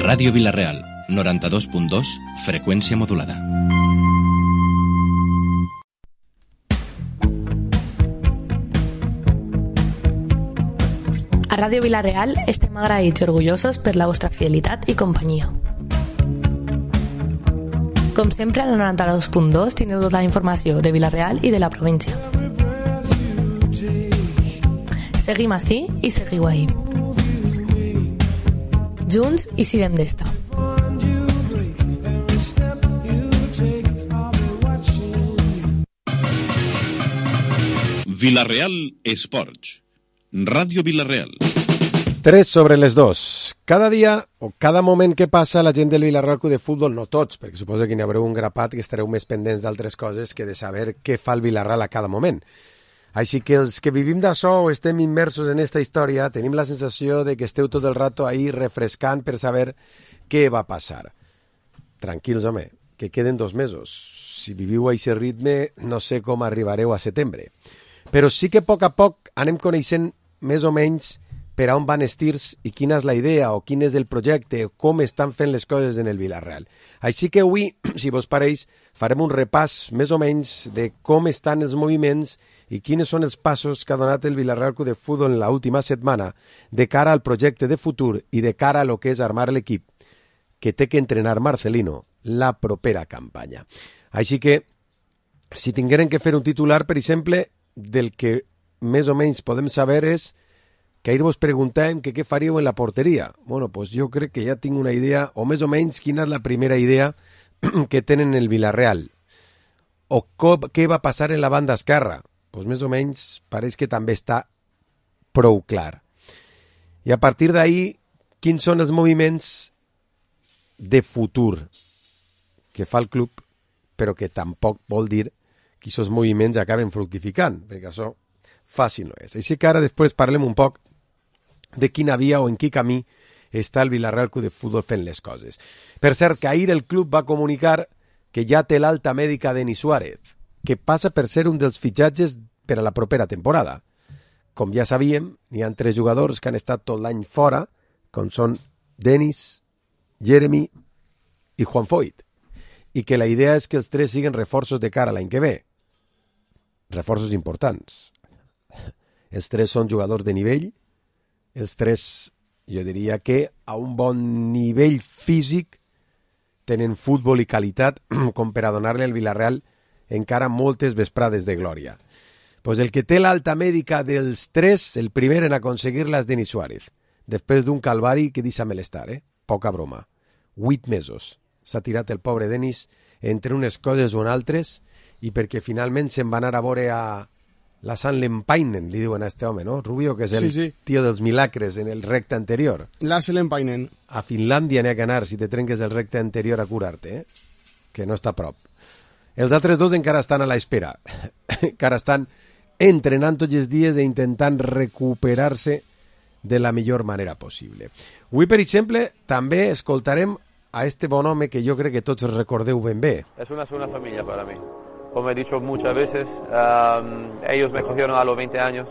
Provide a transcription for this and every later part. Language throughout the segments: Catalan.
Ràdio Vila-real, 92.2, freqüència modulada. A Ràdio Vila-real estem agraïts i orgullosos per la vostra fidelitat i companyia. Com sempre, al 92.2 teniu tota la informació de Vila-real i de la província. Seguim ací i seguiu ahí. Junts i sirem d'esta. Vila-real Esports. Ràdio Vila-real. 3:02. Cada dia o cada moment que passa la gent del Vila-real de futbol, no tots, perquè suposo que n'hi haureu un grapat que estareu més pendents d'altres coses que de saber què fa el Vila-real a cada moment. Així que els que vivim d'això o estem immersos en esta història tenim la sensació de que esteu tot el rato ahí refrescant per saber què va passar. Tranquils, home, que queden 2 mesos. Si viviu a aquest ritme, no sé com arribareu a setembre. Però sí que a poc anem coneixent més o menys per a on van els tirs i quina és la idea o quin és el projecte o com estan fent les coses en el Vila-real. Així que avui, si vos pareix, farem un repàs més o menys de com estan els moviments i quins són els passos que ha donat el Vila-real de futbol en l'última setmana de cara al projecte de futur i de cara a lo que és armar l'equip que té que entrenar Marcelino la propera campanya. Així que, si tingueren que fer un titular, per exemple, del que més o menys podem saber és que ahir vos preguntàvem que què faríeu en la porteria. Bueno, pues jo crec que ja tinc una idea, o més o menys quina és la primera idea que tenen el Vila-real. O què va passar en la banda esquerra. Pues més o menys pareix que també està prou clar. I a partir d'ahir, quins són els moviments de futur que fa el club, però que tampoc vol dir que aquests moviments acaben fructificant, perquè això fàcil no és. Així que ara després parlem un poc de quina via o en quin camí està el Vila-real de futbol fent les coses. Per cert, que ahir el club va comunicar que ja té l'alta mèdica de Denis Suárez, que passa per ser un dels fitxatges per a la propera temporada. Com ja sabíem, n'hi ha 3 jugadors que han estat tot l'any fora, com són Denis, Jeremy i Juan Foyt, i que la idea és que els 3 siguin reforços de cara a l'any que ve. Reforços importants. Els 3 són jugadors de nivell, els 3, jo diria que a un bon nivell físic tenen futbol i qualitat com per a donar-li al Vila-real encara moltes vesprades de glòria. Pues el que té l'alta mèdica dels 3, el primer en aconseguir-la és Denis Suárez, després d'un calvari que deixa malestar, poca broma. 8 mesos s'ha tirat el pobre Denis entre unes coses o altres i perquè finalment se'n va anar a veure a la Sant Lempainen, li diuen a este home, no? Rubio, que és el tio dels milagres en el recte anterior. La Lempainen. A Finlàndia n'hi ha que anar si te trenques el recte anterior a curar-te, que no està a prop. Els altres 2 encara estan a l'espera. Encara estan entrenant tots els dies i intentant recuperar-se de la millor manera possible. Avui, per exemple, també escoltarem a este bon home que jo crec que tots recordeu ben bé. Es una segunda familia para mí. Como he dicho muchas veces, ellos me cogieron a los 20 años,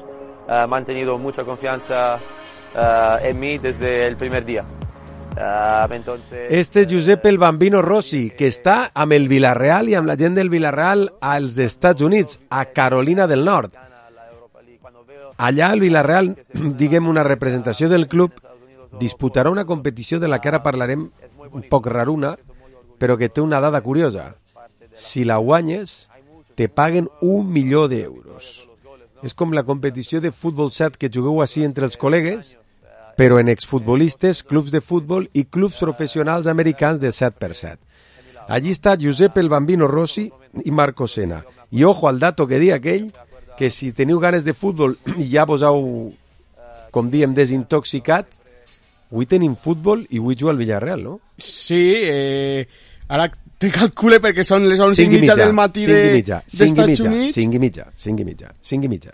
han mantenido mucha confianza en mí desde el primer día. Entonces, este és Josep el Bambino Rossi, que està amb el Vila-real i amb la gent del Vila-real als Estats Units, a Carolina del Nord. Allà el Vila-real, diguem una representació del club, disputarà una competició de la que ara parlarem un poc raruna, però que té una dada curiosa. Si la guanyes, te paguen 1 milió d'euros. És com la competició de futbol 7 que jugueu així entre els col·legues, però en exfutbolistes, clubs de futbol i clubs professionals americans de 7x7. Allí està Josep el Bambino Rossi i Marco Sena. I ojo al dato que dia aquell, que si teniu ganes de futbol i ja vos heu, com diem, desintoxicat, avui tenim futbol i avui juga al Villarreal, no? Sí, ara te calcule perquè són les 11:30 del matí d'Estats Units. 5:30,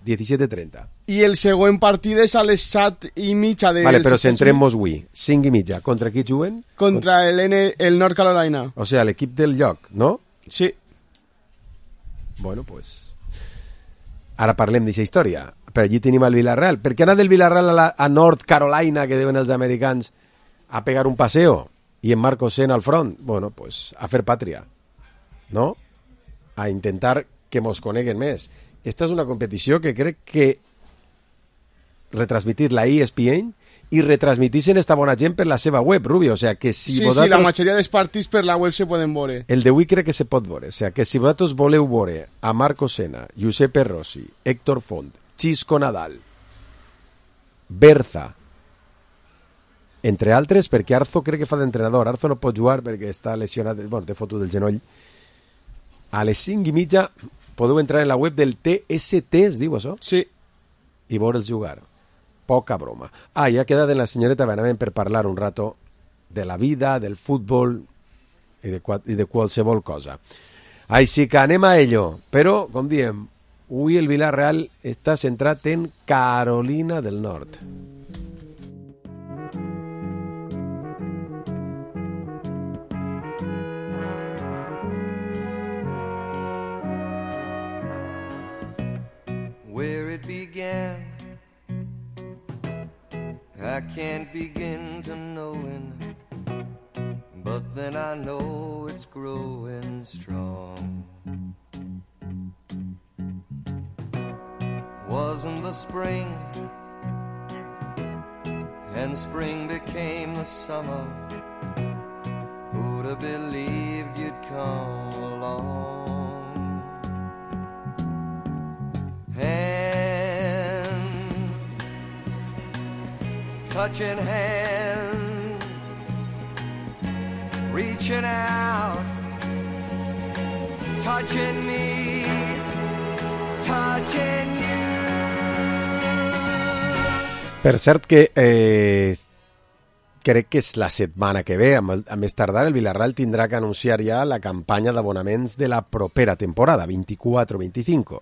17:30. I el següent partit és a les 7:30 de... Vale, però centrem-nos avui. 5:30. Contra qui juguen? Contra el North Carolina. O sea, l'equip del lloc, no? Sí. Bueno, pues... Ara parlem d'aquesta història. per allí tenim el Villarreal. Per què anar del Villarreal a North Carolina, que diuen els americans, a pegar un paseo i en Marco Senna al front? Bueno, pues a fer pàtria, no? A intentar que mos coneguen més. Esta és una competició que crec que retransmitir la ESPN i retransmitixen esta bona gent per la seva web, Rubio, o sea que si sí, vosaltres... Sí, la majoria dels partits per la web se poden veure. El d'avui crec que se pot veure, o sea que si vosaltres voleu veure a Marco Senna, Giuseppe Rossi, Héctor Font, Xisco Nadal, Berza, entre altres, perquè Arzo crec que fa d'entrenador, Arzo no pot jugar perquè està lesionat, bueno, té foto del genoll. A les 5:30 podeu entrar en la web del TST, es diu això? Sí. I veure'ls jugar. Poca broma. Ja ha quedat en la senyoreta Benavent per parlar un rato de la vida, del futbol i de qualsevol cosa. Així que anem a ello. Però, com diem, avui el Villarreal està centrat en Carolina del Nord. Where it began, I can't begin to knowing, but then I know it's growing strong. Wasn't the spring, and spring became the summer. Who'd have believed you'd come along? Touching hands, reaching out, touching me, touching you. Per cert que crec que és la setmana que ve, a més tardar, el Villarreal tindrà que anunciar ja la campanya d'abonaments de la propera temporada, 24-25.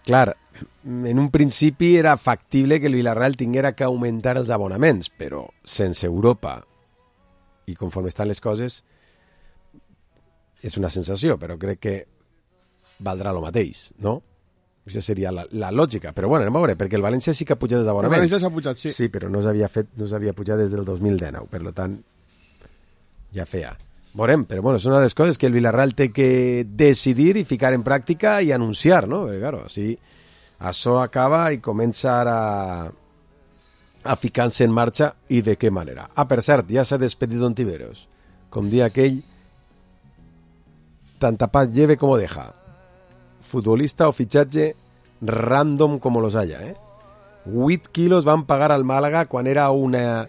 Clar, en un principi era factible que el Villarreal tinguera que augmentar els abonaments, però sense Europa i conforme estan les coses és una sensació, però crec que valdrà el mateix, no? Aquesta seria la lògica, però bueno, anem a veure, perquè el València sí que ha pujat els abonaments. El València s'ha pujat, sí. Sí, però no s'havia pujat des del 2019, per tant ja feia. Veurem, però bueno, són una de les coses que el Villarreal té que decidir i ficar en pràctica i anunciar, no? Perquè, claro, si això acaba i comença a ficar-se en marxa, i de què manera. Per cert, ja s'ha despedit Ontiveros. Com dia aquell, tan tapat lleve como deja. Futbolista o fitxatge random como los haya, 8 quilos van pagar al Màlaga quan era una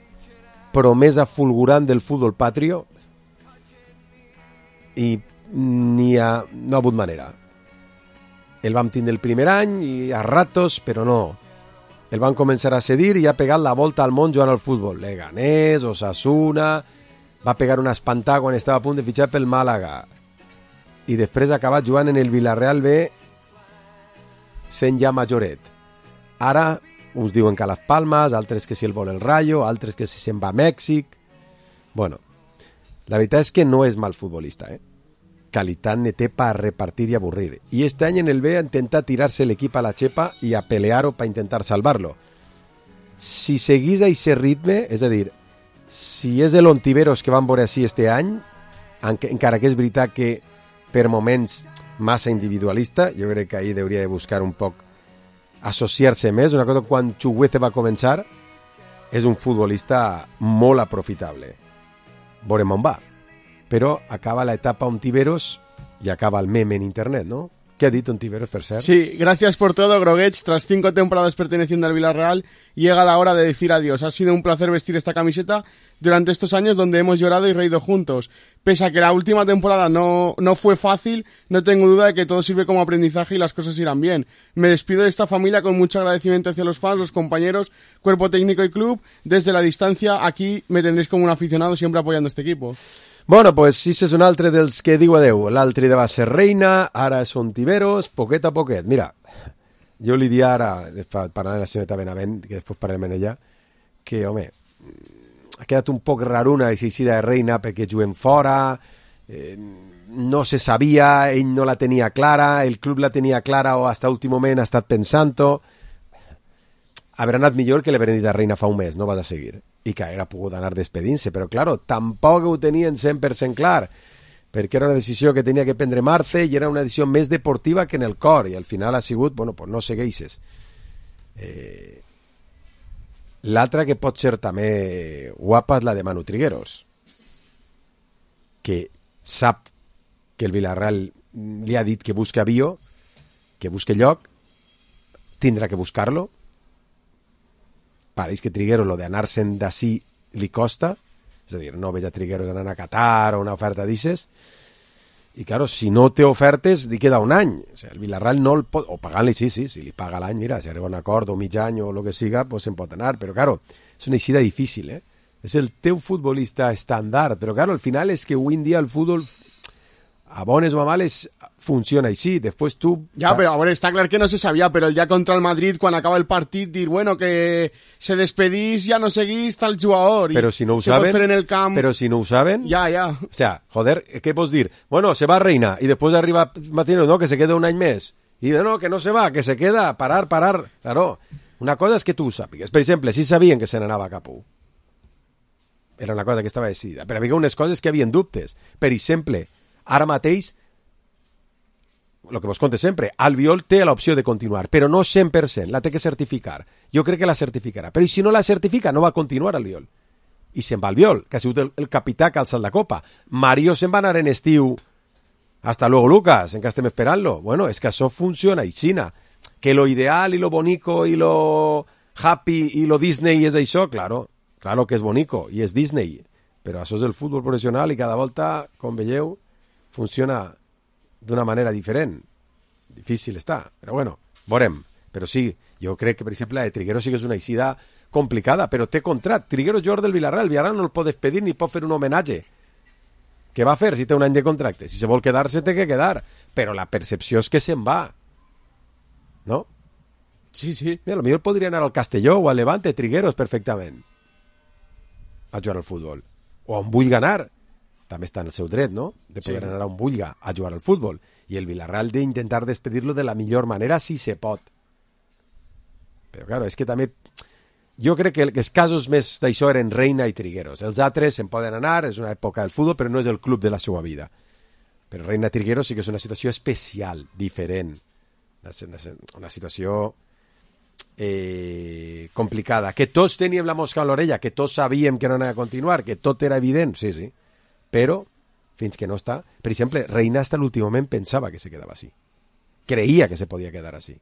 promesa fulgurant del futbol patrio, i no ha hagut manera. El vam tindre el primer any i a ratos, però no. El van començar a cedir i ha pegat la volta al món jugant al futbol. Leganés, Osasuna, va pegar una espantada quan estava a punt de fitxar pel Màlaga. I després ha acabat jugant en el Villarreal B sent ja majoret. Ara uns diuen que a Las Palmas, altres que si el vol el Rayo, altres que si se'n va a Mèxic. Bueno, la veritat és que no és mal futbolista, Qualitat ne té per repartir i avorrir. I este any en el B ha intentat tirar-se l'equip a la xepa i a pelear-ho per intentar salvar-lo. Si seguís a aquest ritme, és a dir, si és l'Ontiveros que van veure així este any, encara que és veritat que per moments massa individualista, jo crec que ahir hauria de buscar un poc associar-se més. Una cosa, quan Chukwueze va començar, és un futbolista molt aprofitable. Veurem on va. Però acaba la etapa Ontiveros y acaba el meme en internet, ¿no? ¿Qué ha dicho Ontiveros, per cert? Sí, gracias por todo, Groguets. Tras 5 temporadas perteneciendo al Villarreal, llega la hora de decir adiós. Ha sido un placer vestir esta camiseta durante estos años donde hemos llorado y reído juntos. Pese a que la última temporada no fue fácil, no tengo duda de que todo sirve como aprendizaje y las cosas irán bien. Me despido de esta familia con mucho agradecimiento hacia los fans, los compañeros, cuerpo técnico y club. Desde la distancia, aquí me tendréis como un aficionado siempre apoyando este equipo. Bueno, pues si és un altre dels que diu adeu. L'altre va ser Reina, ara és Ontiveros, poquet a poquet. Mira, jo li dic ara, parlant de la senyora Benavent, que després parlem en ella, que, home, ha quedat un poc raruna així de Reina perquè juguem fora, no se sabia, ell no la tenia clara, el club la tenia clara o hasta l'últim moment ha estat pensant-ho. Habrà anat millor que l'haver dit a Reina fa un mes, no vas a seguir. I que haguera pogut anar despedint-se, però claro, tampoc ho tenien 100% clar, perquè era una decisió que tenia que prendre Marce i era una decisió més deportiva que en el cor, i al final ha sigut, bueno, pues no segueixes. L'altra que pot ser també guapa és la de Manu Trigueros, que sap que el Villarreal li ha dit que busca avió, que busque lloc, tindrà que buscar-lo. Pareix que Trigueros, lo d'anar-se'n d'ací li costa, és a dir, no veig a Trigueros anant a Qatar o una oferta d'ixes, i claro, si no té ofertes, li queda un any. O sigui, el Villarreal no el pot... O pagant-li, sí, si li paga l'any, mira, si arriba un acord o mig any o el que siga, pues se'n pot anar. Però claro, és una eixida difícil, És el teu futbolista estàndard, però claro, al final és que avui en dia el futbol, a bones o a males, funciona així. Després tu... Ja, però a veure, està clar que no se sabia, però el dia contra el Madrid, quan acaba el partit, dir, bueno, que se despedís, ja no seguís tal jugador. Però si no ho saben... En el camp... Però si no ho saben... Ja. O sea, joder, què pots dir? Bueno, se va Reina, i després arriba Martínez, no, que se queda un any més. I no, que no se va, que se queda, parar. Claro, una cosa és que tu ho sàpigues. Per exemple, si sabien que se n'anava cap a era una cosa que estava decidida. Però hi havia unes coses que havien dubtes. Per exemple, ara mateix, el que vos conte sempre, Albiol té l'opció de continuar, però no 100%, la té que certificar. Jo crec que la certificarà, però si no la certifica no va continuar Albiol. I se'n va Albiol, que ha sigut el capità que ha alçat la copa. Mario se'n va anar en estiu. Hasta luego, Lucas, encara estem esperant-lo. Bueno, és que això funciona aixina. Que lo ideal i lo bonico i lo happy i lo Disney és això, claro que és bonico i és Disney, però això és el futbol professional i cada volta, com veieu, funciona d'una manera diferent. Difícil està, però bueno, veurem. Però sí, jo crec que, per exemple, la de Trigueros sí que és una eixida complicada, però té contrat. Trigueros jugador del Villarreal, el Villarreal no el pot despedir ni pot fer un homenatge. Què va fer si té un any de contracte? Si se vol quedar-se, té que quedar. Però la percepció és que se'n va. No? Sí. Mira, potser podria anar al Castelló o al Levante, Trigueros, perfectament, a jugar al futbol. O on vulgui anar. També està en el seu dret, no?, de poder anar on vulgui a jugar al futbol. I el Villarreal d'intentar despedir-lo de la millor manera si se pot. Però, claro, és que també... Jo crec que els casos més d'això eren Reina i Trigueros. Els altres se'n poden anar, és una època del futbol, però no és el club de la seva vida. Però Reina i Trigueros sí que és una situació especial, diferent. Una situació complicada. Que tots teníem la mosca a l'orella, que tots sabíem que no anava a continuar, que tot era evident, sí. Però, fins que no està... Per exemple, Reina hasta l'últim moment pensava que se quedava així. Creía que se podía quedar así.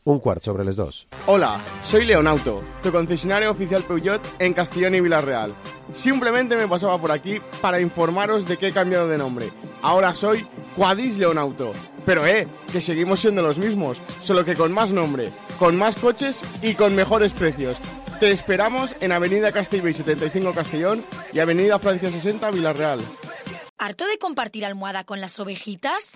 2:15. Hola, soy Leonauto, tu concesionario oficial Peugeot en Castellón y Villarreal. Simplemente me pasaba por aquí para informaros de que he cambiado de nombre. Ahora soy Quadis Leonauto. Pero que seguimos siendo los mismos, solo que con más nombre, con más coches y con mejores precios. Te esperamos en Avenida Castellbell 75 Castellón y Avenida Francia 60 Villarreal. ¿Harto de compartir almohada con las ovejitas?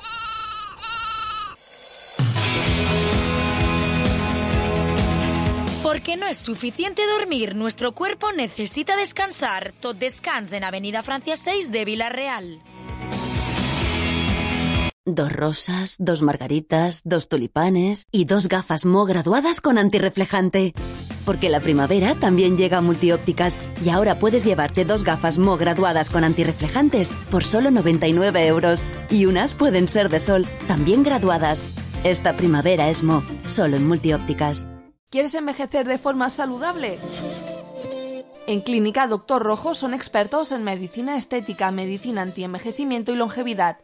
Porque no es suficiente dormir, nuestro cuerpo necesita descansar. Tot descans en Avenida Francia 6 de Villarreal. 2 rosas, 2 margaritas, 2 tulipanes y 2 gafas Mo graduadas con antirreflejante. Porque la primavera también llega a Multiópticas y ahora puedes llevarte 2 gafas Mo graduadas con antirreflejantes por solo 99 €. Y unas pueden ser de sol, también graduadas. Esta primavera es Mo, solo en Multiópticas. ¿Quieres envejecer de forma saludable? En Clínica Doctor Rojo son expertos en medicina estética, medicina antienvejecimiento y longevidad.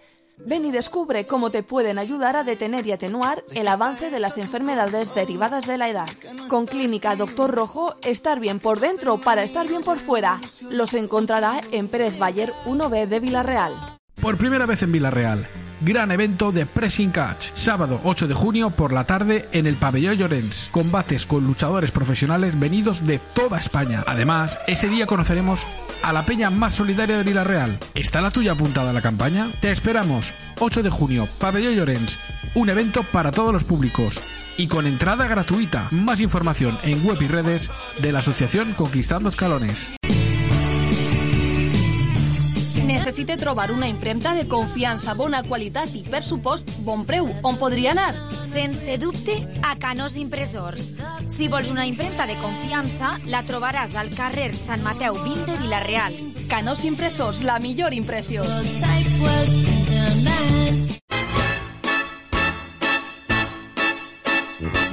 Ven y descubre cómo te pueden ayudar a detener y atenuar el avance de las enfermedades derivadas de la edad. Con Clínica Doctor Rojo, estar bien por dentro para estar bien por fuera. Los encontrará en Pérez Bayer 1B de Villarreal. Por primera vez en Villarreal, gran evento de Pressing Catch, sábado 8 de junio por la tarde en el Pabellón Llorens. Combates con luchadores profesionales venidos de toda España. Además, ese día conoceremos a la peña más solidaria de Villarreal. ¿Está la tuya apuntada a la campaña? Te esperamos, 8 de junio, Pabellón Llorens, un evento para todos los públicos y con entrada gratuita. Más información en web y redes de la asociación Conquistando Escalones. ¿Necesitas necessite trobar una impremta de confiança, bona qualitat i, per supost, bon preu, on podria anar? Sense dubte, a Canós Impressors. Si vols una impremta de confiança, la trobaràs al carrer Sant Mateu 20 de Vila-real. Canós Impressors, la millor impressió.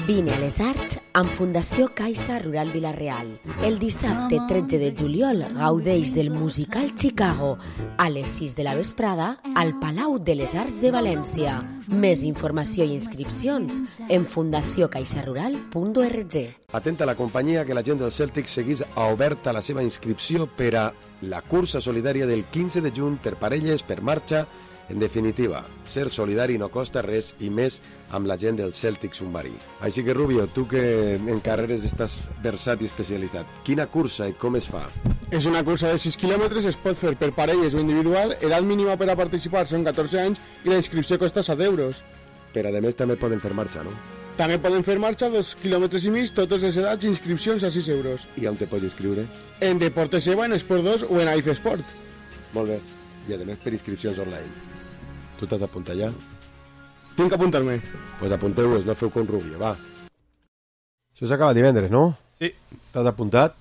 Vine a les Arts amb Fundació Caixa Rural Vila-real. El dissabte 13 de juliol gaudeix del musical Chicago a les 6 de la vesprada al Palau de les Arts de València. Més informació i inscripcions en fundaciocaixarural.org. Atenta a la companyia que la gent del Celtic seguís oberta la seva inscripció per a la cursa solidària del 15 de juny per parelles, per marxa. En definitiva, ser solidari no costa res i més amb la gent del Celtic submarí. Així que, Rubio, tu que en carreres estàs versat i especialitzat, quina cursa i com es fa? És una cursa de 6 quilòmetres, es pot fer per parelles o individual, edat mínima per a participar són 14 anys i la inscripció costa 7 euros. Però a més també poden fer marxa, no? També poden fer marxa 2 quilòmetres i mig, totes les edats, inscripcions a 6 euros. I on te pots inscriure? En Deportes Eva, en Esport 2 o en AIF Sport. Molt bé. I a més per inscripcions online. Tu t'has apuntat ja? Tinc que apuntar-me. Pues apunteu-vos, no feu com Rubio, va. Això s'acaba divendres, no? Sí. T'has apuntat?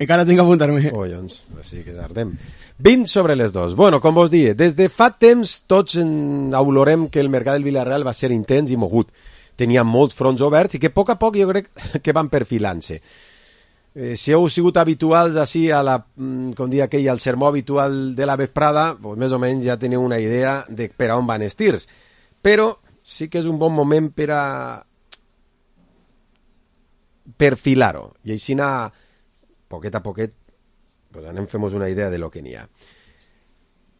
Encara tinc que apuntar-me. Collons, així que tardem. 20 sobre les 2. Bueno, com vos dic, des de fa temps tots olorem que el mercat del Vila-real va ser intens i mogut. Tenia molts fronts oberts i que a poc jo crec que van perfilant-se. Si heu sigut habituals així a la, com dia aquell, al sermó habitual de la vesprada, pues més o menys ja teniu una idea de per a on van els tirs. Però sí que és un bon moment per a perfilar-ho. I així anar, poquet a poquet, pues anem fem-nos una idea de lo que n'hi ha.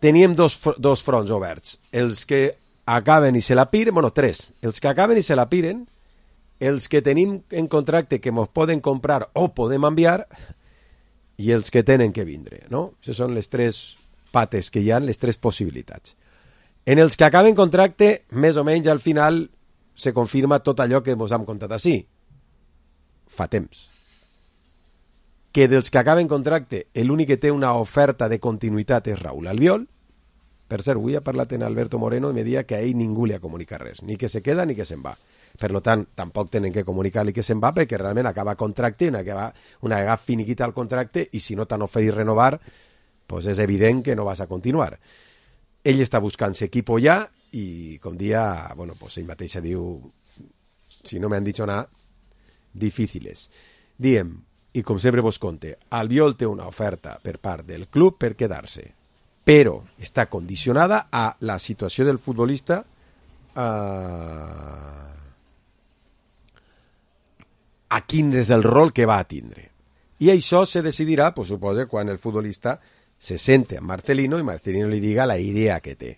Teníem dos fronts oberts. Els que acaben i se la piren, bueno, 3. Els que acaben i se la piren, els que tenim en contracte que ens poden comprar o podem enviar i els que tenen que vindre, no? Aquestes són les 3 pates que hi ha, les 3 possibilitats. En els que acaben contracte, més o menys al final se confirma tot allò que ens hem contat així. Fa temps. Que dels que acaben contracte, l'únic que té una oferta de continuïtat és Raúl Albiol. Per cert, avui ha parlat en Alberto Moreno i me dia que a ell ningú li ha comunicat res, ni que se queda ni que se'n va. Per tant, tampoc tenen que comunicar-li que se'n va perquè realment acaba contracte, una vegada finiquita el contracte i si no t'han oferit renovar, pues és evident que no vas a continuar. Ell està buscant-se equipo ja i com dia, bueno, pues ell mateixa diu, si no me han dicho nada, difíciles. Diem, i com sempre vos conte, Albiol té una oferta per part del club per quedar-se, però està condicionada a la situació del futbolista a quin és el rol que va a tindre. I això se decidirà, pues, suposa, quan el futbolista se sente amb Marcelino i Marcelino li diga la idea que té.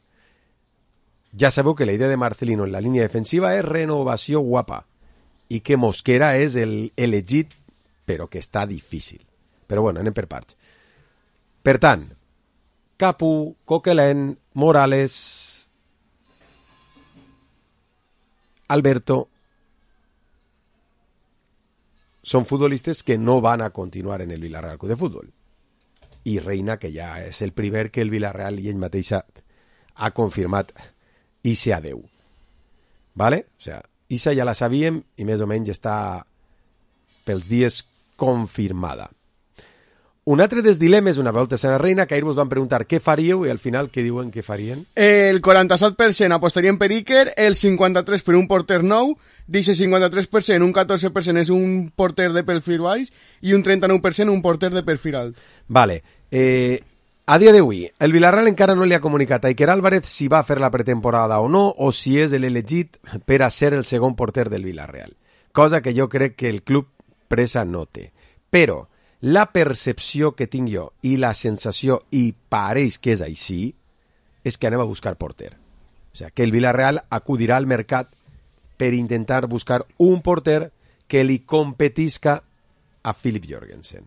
Ja sabeu que la idea de Marcelino en la línia defensiva és renovació guapa i que Mosquera és elegit, però que està difícil. Però bueno, anem per parts. Per tant, Capu, Coquelin, Morales, Alberto són futbolistes que no van a continuar en el Villarreal Club de Fútbol. I Reina, que ja és el primer que el Villarreal i ell mateixa ha confirmat ixe adeu. ¿Vale? O sea, ixa ja la sabíem i més o menys està pels dies confirmada. Un altre dels dilemes, una volta serà Reina, que ahir vos van preguntar què faríeu i al final què diuen que farien? El 47% apostarien per Iker, el 53% per un porter nou, d'aquest 53%, un 14% és un porter de perfil baix i un 39% un porter de perfil alt. Vale. A dia d'avui, el Villarreal encara no li ha comunicat a Iker Álvarez si va fer la pretemporada o no, o si és l'elegit per a ser el segon porter del Villarreal. Cosa que jo crec que el club pressa no té. Però la percepció que tinc jo i la sensació, i pareix que és així, és que anem a buscar porter. O sigui, que el Villarreal acudirà al mercat per intentar buscar un porter que li competisca a Philip Jorgensen.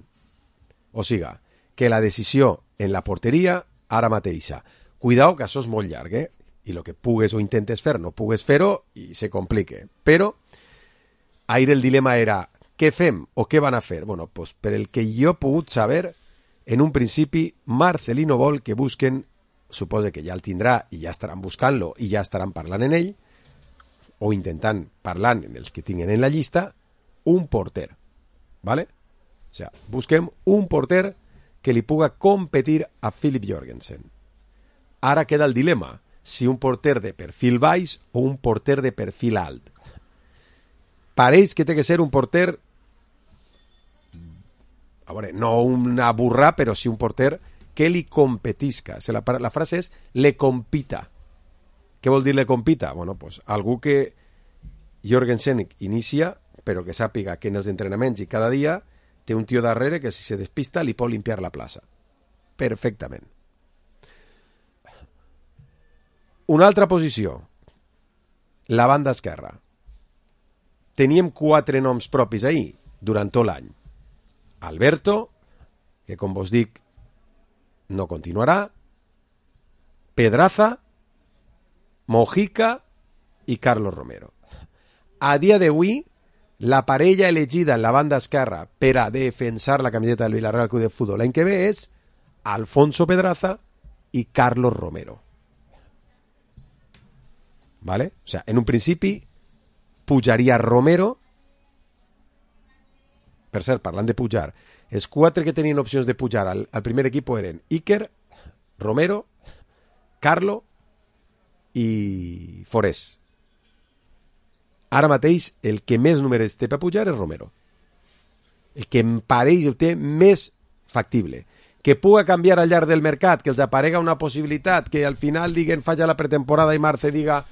O sigui, que la decisió en la porteria ara mateixa. Cuidao, que això és molt llarg, I el que pugues o intentes fer, no pugues fer-ho i se complique. Però ahir el dilema era què fem o què van a fer? Bueno, pues per el que jo he pogut saber, en un principi Marcelino vol que busquen suposa que ja el tindrà i ja estaran buscant-lo i ja estaran parlant en ell, o intentant parlant en els que tinguin en la llista, un porter, ¿vale? O sea, busquem un porter que li puga competir a Philip Jorgensen. Ara queda el dilema, si un porter de perfil baix o un porter de perfil alt. Pareix que té que ser un porter, a veure, no una burra, però sí un porter que li competisca. La frase és le compita. Què vol dir le compita? Bueno, pues algú que Jorgensen inicia, però que sàpiga que en els entrenaments i cada dia té un tio darrere que si se despista li pot limpiar la plaça. Perfectament. Una altra posició, la banda esquerra. Teníem 4 noms propis ahir durant tot l'any. Alberto, que com vos dic no continuarà, Pedraza, Mojica i Carlos Romero. A dia d'avui, la parella elegida en la banda esquerra per a defensar la camiseta del Villarreal Club de Fútbol l'any que ve és Alfonso Pedraza i Carlos Romero. ¿Vale? O sea, en un principi pujaria Romero. Per cert, parlant de pujar, els 4 que tenien opcions de pujar al primer equip eren Iker, Romero, Carlo i Forés. Ara mateix el que més números té per pujar és Romero. El que em pareix ho té més factible. Que puga canviar al llarg del mercat, que els aparega una possibilitat, que al final diguen falla la pretemporada i Marce diga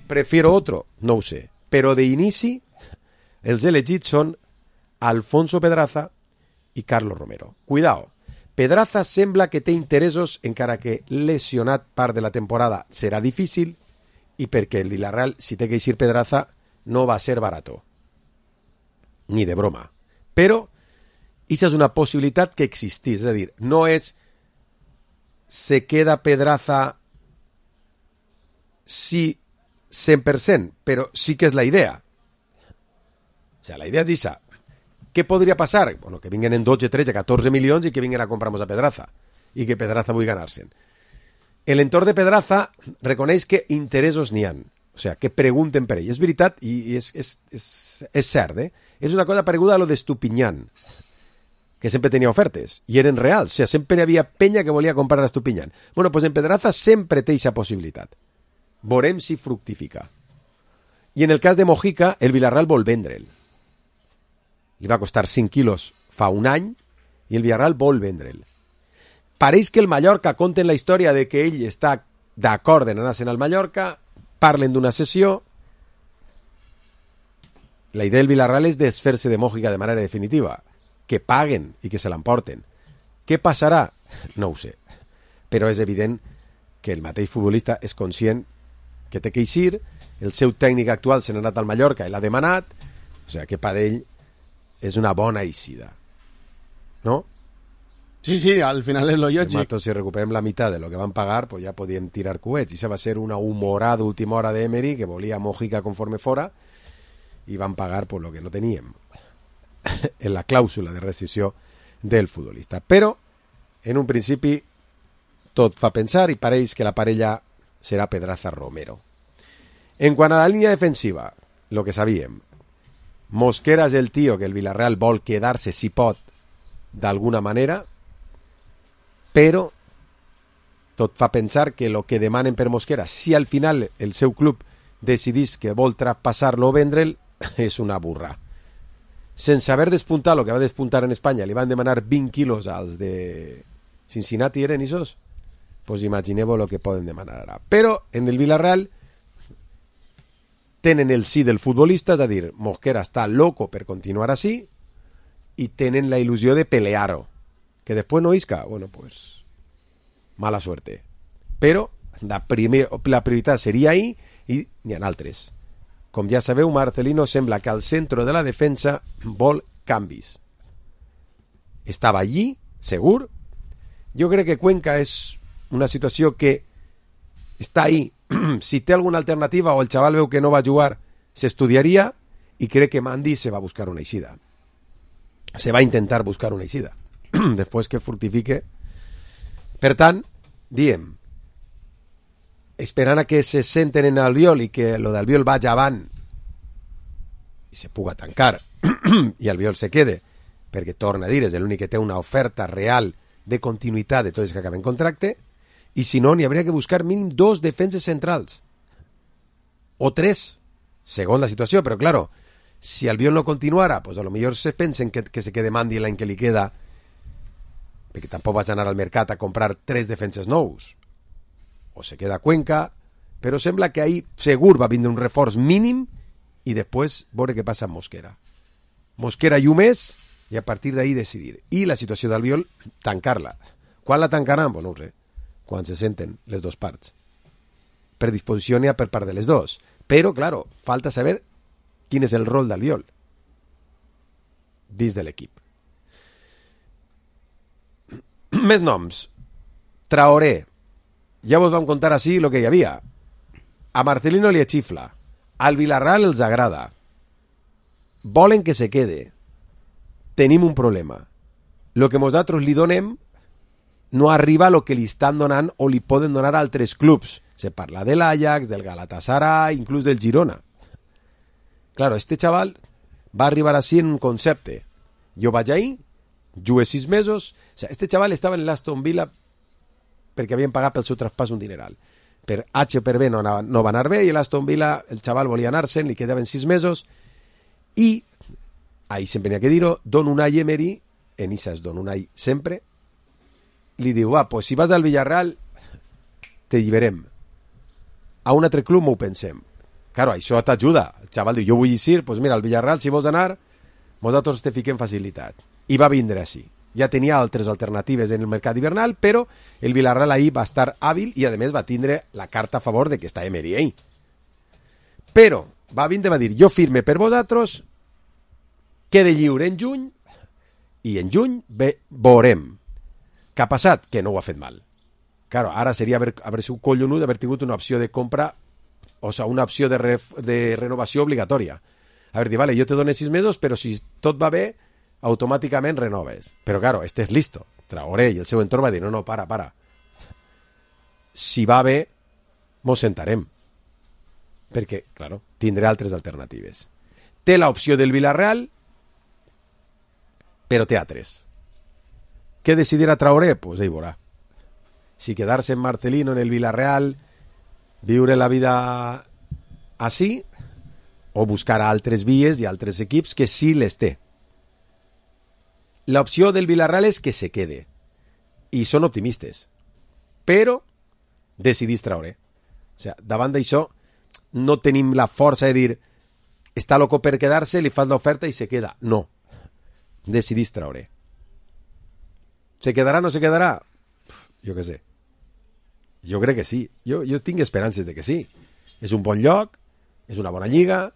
prefiero otro, no ho sé. Però d'inici els elegits són Alfonso Pedraza i Carlos Romero. Cuidao, Pedraza sembla que té interessos, encara que lesionat part de la temporada serà difícil, i perquè el Villarreal, si té que eixir Pedraza, no va ser barato. Ni de broma. Però, això és una possibilitat que existís. És a dir, no és se queda Pedraza sí 100%, però sí que és la idea. O sea, la idea és això. Què podria passar? Bueno, que vinguen en 12, 13, 14 milions i que vinguin a comprar-nos a Pedraza. I que Pedraza vull ganar-se'n. L'entorn de Pedraza reconeix que interessos n'hi han. O sea, que pregunten per ell. És veritat i és cert, eh? És una cosa pareguda a lo d'Estupiñán, que sempre tenia ofertes, i eren reals. O sea, sempre hi havia penya que volia comprar a Estupiñán. Bueno, pues en Pedraza sempre té aquesta possibilitat. Veurem si fructifica. I en el cas de Mojica, el Villarreal vol vendre'l. Li va costar 5 quilos fa un any i el Villarreal vol vendre'l. Pareix que el Mallorca conten la història de que ell està d'acord en anar-se'n al Mallorca, parlen d'una sessió. La idea del Villarreal és desfer-se de Mojica de manera definitiva, que paguen i que se l'emporten. Què passarà? No ho sé. Però és evident que el mateix futbolista és conscient que té que eixir, el seu tècnic actual se n'ha anat al Mallorca i l'ha demanat, o sigui que per ell és una bona eixida. ¿No? Sí, sí, al final és lo lògic. Si recuperem la meitat de lo que van pagar, pues ja podíem tirar coets. I això va ser una humorada última hora de Emery, que volia Mojica conforme fora, i van pagar por lo que no teníem en la clàusula de rescissió del futbolista. Però, en un principi, tot fa pensar i pareix que la parella serà Pedraza-Romero. En quant a la línia defensiva, lo que sabíem, Mosquera és el tio que el Villarreal vol quedar-se, si pot, d'alguna manera, però tot fa pensar que el que demanen per Mosquera, si al final el seu club decidís que vol traspassar-lo o vendre'l, és una burra. Sense haver despuntat el que va despuntar en Espanya, li van demanar 20 quilos als de Cincinnati, eren isos? Pues imagineu el que poden demanar ara. Però en el Villarreal tenen el sí del futbolista, és a dir, Mosquera està loco per continuar així, i tenen la il·lusió de pelear-ho. Que després no isca, bueno, pues mala suerte. Però la prioritat seria ahir i n'hi ha altres. Com ja sabeu, Marcelino sembla que al centre de la defensa vol canvis. Estava allí, segur. Jo crec que Cuenca és una situació que està ahí. Si té alguna alternativa o el xaval veu que no va jugar, s'estudiaria, i crec que Mandi se va a buscar una eixida. Se va a intentar buscar una eixida. Després que fructifique. Per tant, diem, esperant a que se senten en Albiol i que lo d'Albiol vagi avant i se puga tancar i Albiol se quede, perquè torna a dir, és l'únic que té una oferta real de continuïtat de tots els que acaben contracte, i si no, n'hi hauria que buscar mínim 2 defenses centrals o 3, segons la situació, però claro, si Albiol no continuara, pues a lo millor se pensen que se quede Mandi l'any que li queda, perquè tampoc vas anar al mercat a comprar 3 defenses nous, o se queda Cuenca, però sembla que ahí segur va vindre un reforç mínim i després veure què passa amb Mosquera i un mes, i a partir d'ahí decidir. I la situació d'Albiol, tancar-la. Quan la tancaran? Bueno, no ho sé. Quan se senten les dues parts. Per disposició n'hi ha per part de les dues. Però, claro, falta saber quin és el rol d'Albiol dins de l'equip. Més noms. Traoré. Ja vos vam contar així el que hi havia. A Marcelino li xifla. Al Villarreal els agrada. Volen que se quede. Tenim un problema. Lo que nosaltres li donem no arriba a lo que li estan donant o li poden donar a altres clubs. Se parla de l'Ajax, del Galatasaray, inclús del Girona. Claro, este chaval va arribar així en un concepte. Jo vaig ahí, jugué 6 mesos... O sea, este chaval estava en l'Aston Villa perquè havien pagat pel seu traspàs un dineral. Per H o per B no va anar bé i l'Aston Villa, el chaval volia anar-se'n, li quedaven 6 mesos i, ahí sempre n'hi ha que dir-ho, Don Unai Emery, en Isas Don Unai sempre, li diu, pues si vas al Villarreal te lliberem. A un altre club m'ho pensem. Claro, això t'ajuda. El xaval diu, jo vull ir, pues mira, al Villarreal, si vols anar, nosaltres te fiquem facilitat. I va vindre així. Ja tenia altres alternatives en el mercat hivernal, però el Villarreal ahí va estar hàbil i, a més, va tindre la carta a favor de que està Emery ahí. Però va vindre, va dir, jo firme per vosaltres, quede lliure en juny, i en juny veurem. Què ha passat? Que no ho ha fet mal. Claro, ara seria haver sigut collonut d'haver tingut una opció de compra, o sigui, una opció de renovació obligatòria. A dir, vale, jo te dono 6 mesos, però si tot va bé, automàticament renoves. Però, claro, este és listo. Traoré i el seu entorn va dir, no, para. Si va bé, mos sentarem. Perquè, claro, tindré altres alternatives. Té l'opció del Villarreal, però té altres. Què decidirà Traoré? Pues ell veurà. Si quedar-se en Marcelino, en el Villarreal, viure la vida així, o buscar altres vies i altres equips que sí les té. L'opció del Villarreal és que se quede. I són optimistes. Però decidís Traoré. O sigui, davant d'això, no tenim la força de dir està loco per quedar-se, li fas l'oferta i se queda. No. Decidís Traoré. ¿Se quedarà o no se quedarà? Jo què sé. Jo crec que sí. Jo tinc esperances de que sí. És un bon lloc, és una bona lliga,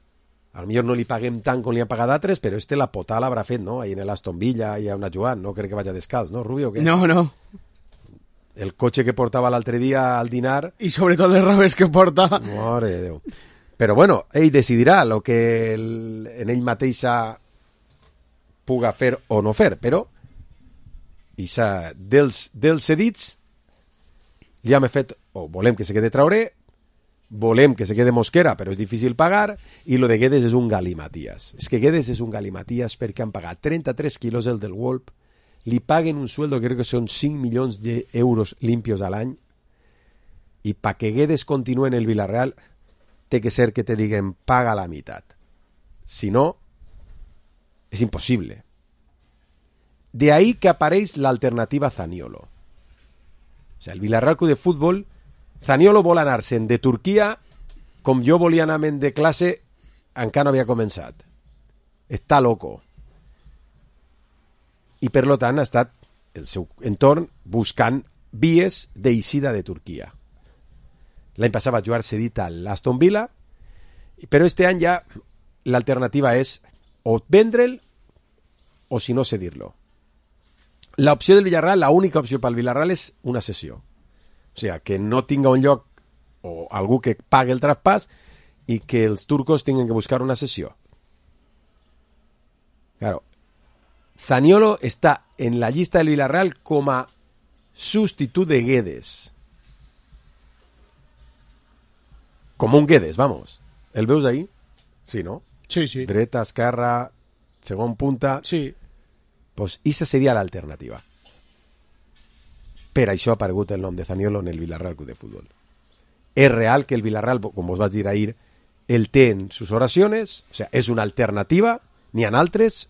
a lo millor no li paguem tant com li han pagat altres, però la potada l'haurà fet, no? Ahí en l'Aston Villa i a una jugant, no crec que vagi descalç, no, Rubio? ¿Qué? No. El cotxe que portava l'altre dia al dinar... I sobretot els rabers que porta... Mare de Déu. Però bueno, ell decidirà el que en ell mateixa puga fer o no fer, però dels cedits ja m'he fet, o volem que se quede Traoré, volem que se quede Mosquera, però és difícil pagar, i lo de Guedes és un galimatías. És que Guedes és un galimatías perquè han pagat 33 quilos el del Wolf, li paguen un sueldo que crec que són 5 milions d'euros limpios a l'any, i pa que Guedes continue en el Villarreal té que ser que te diguen paga la meitat. Si no, és impossible. De ahí que apareix l'alternativa Zaniolo. O sigui, el Villarreal Club de Futbol, Zaniolo vol anar-se'n de Turquia com jo volia anar-me'n de classe encara no havia començat. Està loco. I per lo tant ha estat el seu entorn buscant vies d'eixida de Turquia. L'any passat va jugar cedit a l'Aston Villa, però este any ja l'alternativa és o vendre'l o si no cedir-lo. L'opció del Villarreal, l'única opció pel Villarreal és una cessió. O sigui, que no tinga un lloc o algú que pagui el traspàs i que els turcos tinguin que buscar una cessió. Claro, Zaniolo està en la llista del Villarreal com a substitut de Guedes. com un Guedes, vamos. El veus ahí? Sí, no? Sí, sí. Dreta, esquerra, segon punta... Sí. Pues esa seria l'alternativa. Per això ha aparegut el nom de Zaniolo en el Villarreal Club de Fútbol. És real que el Villarreal, com vos vaig dir ahir, el té en sus oraciones, o sea, és una alternativa, n'hi ha altres,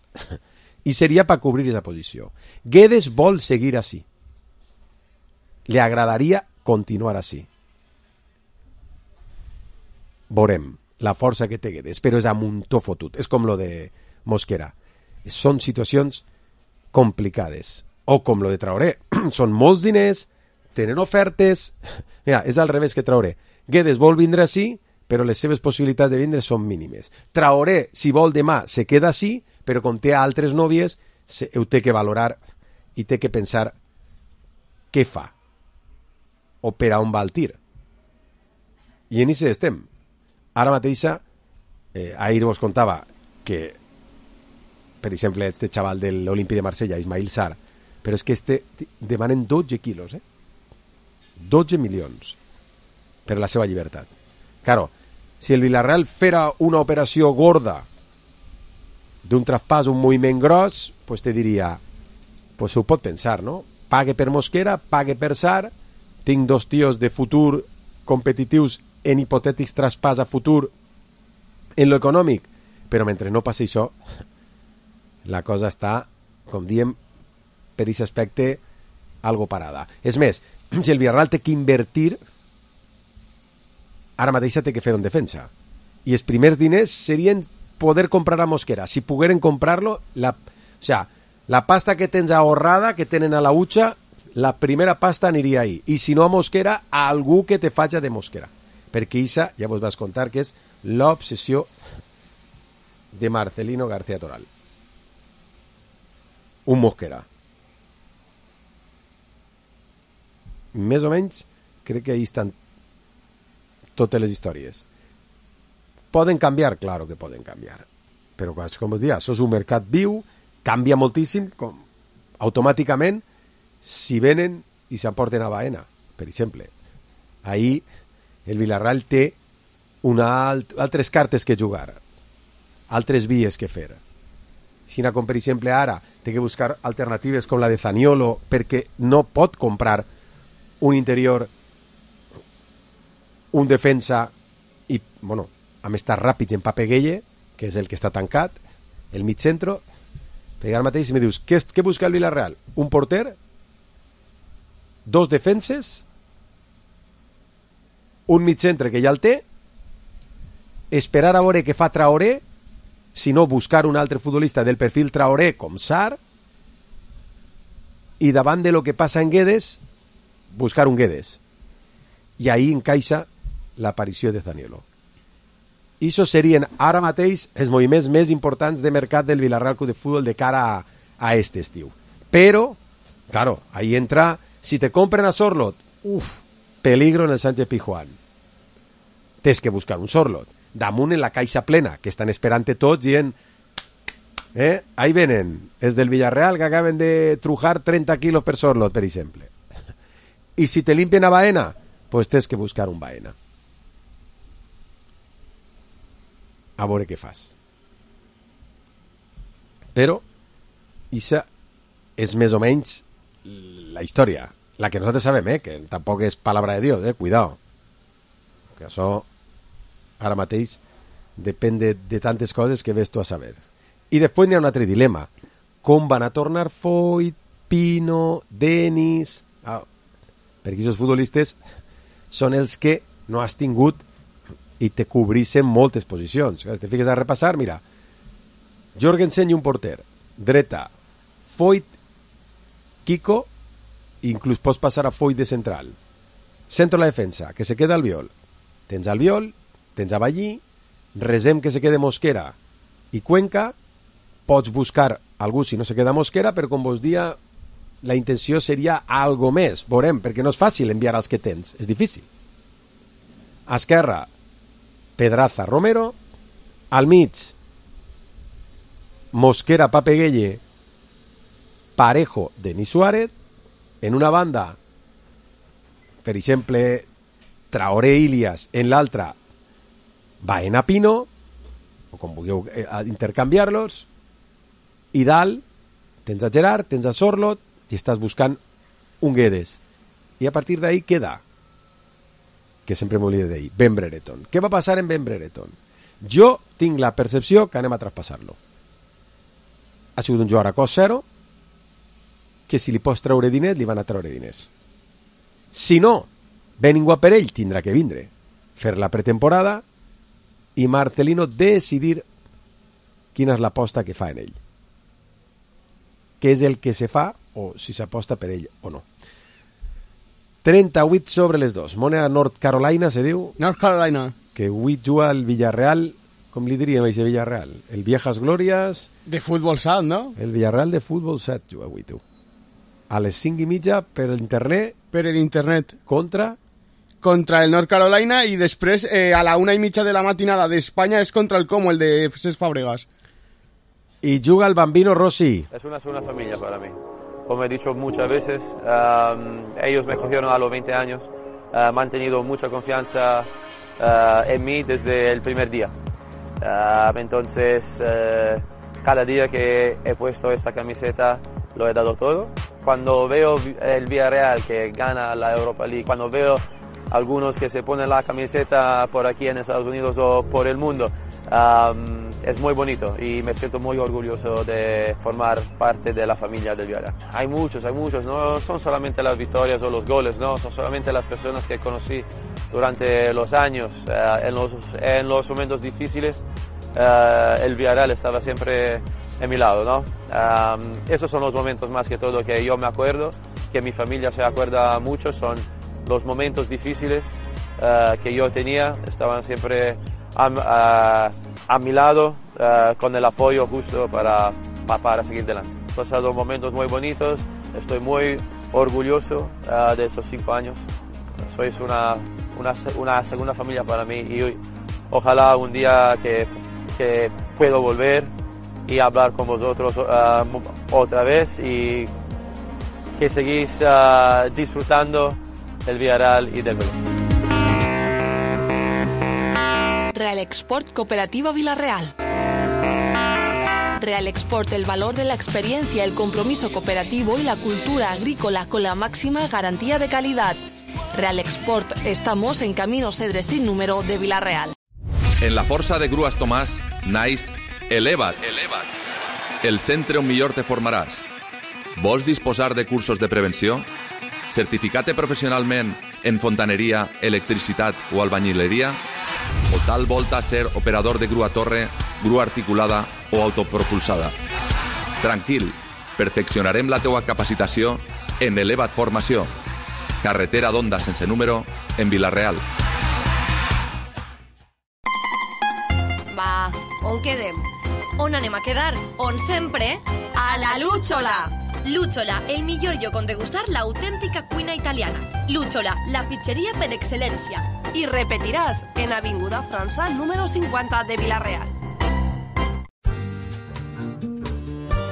i seria per cobrir esa posició. Guedes vol seguir així. Le agradaria continuar així. Veurem la força que té Guedes, però és a muntó fotut. És com lo de Mosquera. Són situacions complicades. O com lo de Traoré. Són molts diners, tenen ofertes... Mira, és al revés que Traoré. Guedes vol vindre així, però les seves possibilitats de vindre són mínimes. Traoré, si vol demà, se queda així, però com té altres nòvies, ho té que valorar i té que pensar què fa o per a on va el tir. I en això estem. Ara mateixa, ahir vos contava que, per exemple, este xaval de l'Olímpic de Marsella, Ismail Sarr, però és que demanen 12 quilos, 12 milions per la seva llibertat. Claro, si el Villarreal fera una operació gorda d'un traspàs, un moviment gros, pues te diria, pues ho pot pensar, no? Pague per Mosquera, pague per Sarr, tinc dos tios de futur competitius en hipotètics traspàs a futur en lo econòmic, però mentre no passi això, la cosa està, com diem, per aquest aspecte, algo parada. És més, si el Villarreal té que invertir, ara mateix té que fer en defensa. I els primers diners serien poder comprar a Mosquera. Si pogueren comprar-lo, la pasta que tens ahorrada, que tenen a la hucha, la primera pasta aniria ahí. I si no a Mosquera, a algú que te faci de Mosquera. Perquè Isa, ja vos vas contar, que és l'obsessió de Marcelino García Toral. Un Mosquera. Més o menys, crec que ahí estan totes les històries. Poden canviar? Claro que poden canviar. Però, com us deia, això és un mercat viu, canvia moltíssim, com automàticament, si venen i s'emporten a Baena, per exemple. Ahir el Villarreal té altres cartes que jugar, altres vies que fer. Si com per exemple ara té que buscar alternatives com la de Zaniolo, perquè no pot comprar un interior, un defensa i, bueno, amb estar ràpids en Pape Gueye, que és el que està tancat, el mig centro, perquè ara mateix si me dius, què busca el Villarreal? Un porter, dos defenses, un mig centre que ja el té, esperar a veure què fa Traoré, si no buscar un altre futbolista del perfil Traoré com Sarr, i davant de lo que passa en Guedes, buscar un Guedes. I ahí encaixa l'aparició de Zaniolo. I això serien ara mateix els moviments més importants de mercat del Villarreal Club de Fútbol de cara a este estiu. Però, claro, ahí entra, si te compren a Sorloth, peligro en el Sánchez Pizjuán. Tens que buscar un Sorloth. Damunt en la caixa plena, que estan esperant tots dient, ahí venen, els del Villarreal que acaben de trujar 30 quilos per Sorloth, per exemple. I si te limpien a Baena, pues tens que buscar un Baena. A veure què fas. Però ixa és més o menys la història, la que nosaltres sabem, que tampoc és palabra de Dios, cuidado, que això ara mateix depèn de tantes coses que ves tu a saber. I després n'hi ha un altre dilema, com van a tornar Foyt, Pino, Denis, perquè aquests futbolistes són els que no has tingut i te cobrissen moltes posicions. Si te fiques a repassar, mira, Jorgensen i un porter, dreta, Foyt, Kiko, inclús pots passar a Foyt de central. Centro la defensa, que se queda Albiol. Tens Albiol, tens a Ballí, resem que se quede Mosquera i Cuenca, pots buscar algú si no se queda Mosquera, però com vos dia, la intenció seria algo més, veurem, perquè no és fàcil enviar els que tens, és difícil. A esquerra, Pedraza, Romero, al mig, Mosquera, Pape Gueye, Parejo, Denis Suárez, en una banda, per exemple, Traoré, Ilias, en l'altra, Baena Pino, o com vulgueu intercanviar-los, i dalt tens a Gerard, tens a Sorlot, i estàs buscant un Guedes. I a partir d'ahí queda, que sempre m'oblida d'ahir, Ben Brereton. Què va passar en Ben Brereton? Jo tinc la percepció que anem a traspassar-lo. Ha sigut un jugador a cost zero, que si li pots treure diners, li van a treure diners. Si no, ve ningú per ell, tindrà que vindre, fer la pretemporada i Marcelino decidir quina és l'aposta que fa en ell. Què és el que se fa, o si s'aposta per ell o no. 38 sobre les 2. Moneda North Carolina, se diu? North Carolina. Que avui juga el Villarreal, com li diríem a aquest Villarreal? El Viejas Glorias... De futbol sat, no? El Villarreal de futbol sat juga avui, tu. A les 5:30 per l'internet. Per l'internet. Contra el North Carolina, i després a la 1:30 de la matinada d'Espanya és contra el Como, el de Cesc Fàbregas. Y juga el Bambino Rossi. Es una segunda familia para mí. Como he dicho muchas veces, ellos me cogieron a los 20 años, han mantenido mucha confianza en mí desde el primer día. Entonces, cada día que he puesto esta camiseta lo he dado todo. Cuando veo el Villarreal que gana la Europa League, cuando veo algunos que se ponen la camiseta por aquí en Estados Unidos o por el mundo, es muy bonito y me siento muy orgulloso de formar parte de la familia del Villarreal. Hay muchos, no son solamente las victorias o los goles, no, son solamente las personas que conocí durante los años, en los momentos difíciles. El Villarreal estaba siempre en mi lado, ¿no? Esos son los momentos más que todo que yo me acuerdo, que mi familia se acuerda mucho, son los momentos difíciles que yo tenía, estaban siempre a mi lado, con el apoyo justo para seguir adelante. He pasado momentos muy bonitos, estoy muy orgulloso de esos 5 años. Sois una segunda familia para mí y ojalá un día que puedo volver y hablar con vosotros otra vez y que seguís disfrutando del Villarreal y del Betis. Real Export Cooperativa Villarreal. Real Export, el valor de la experiencia, el compromiso cooperativo y la cultura agrícola con la máxima garantía de calidad. Real Export, estamos en Camino Cedre sin número de Villarreal. En la Força de Grues Tomàs, naix Eleva't. El centre on millor te formaràs. Vols disposar de cursos de prevenció? Certificat professionalment en fontaneria, electricitat o albañileria? O tal volta ser operador de grua torre, grua articulada o autopropulsada? Tranquil, perfeccionarem la teua capacitació en Eleva't Formació. Carretera d'Onda sense número en Vila-real. Va, on quedem? On anem a quedar? On sempre? A la Lúchola! Lúchola, el millor lloc on degustar l'autèntica cuina italiana. Lúchola, la pizzeria per excel·lència. I repetiràs en Avinguda França, número 50 de Vila-real.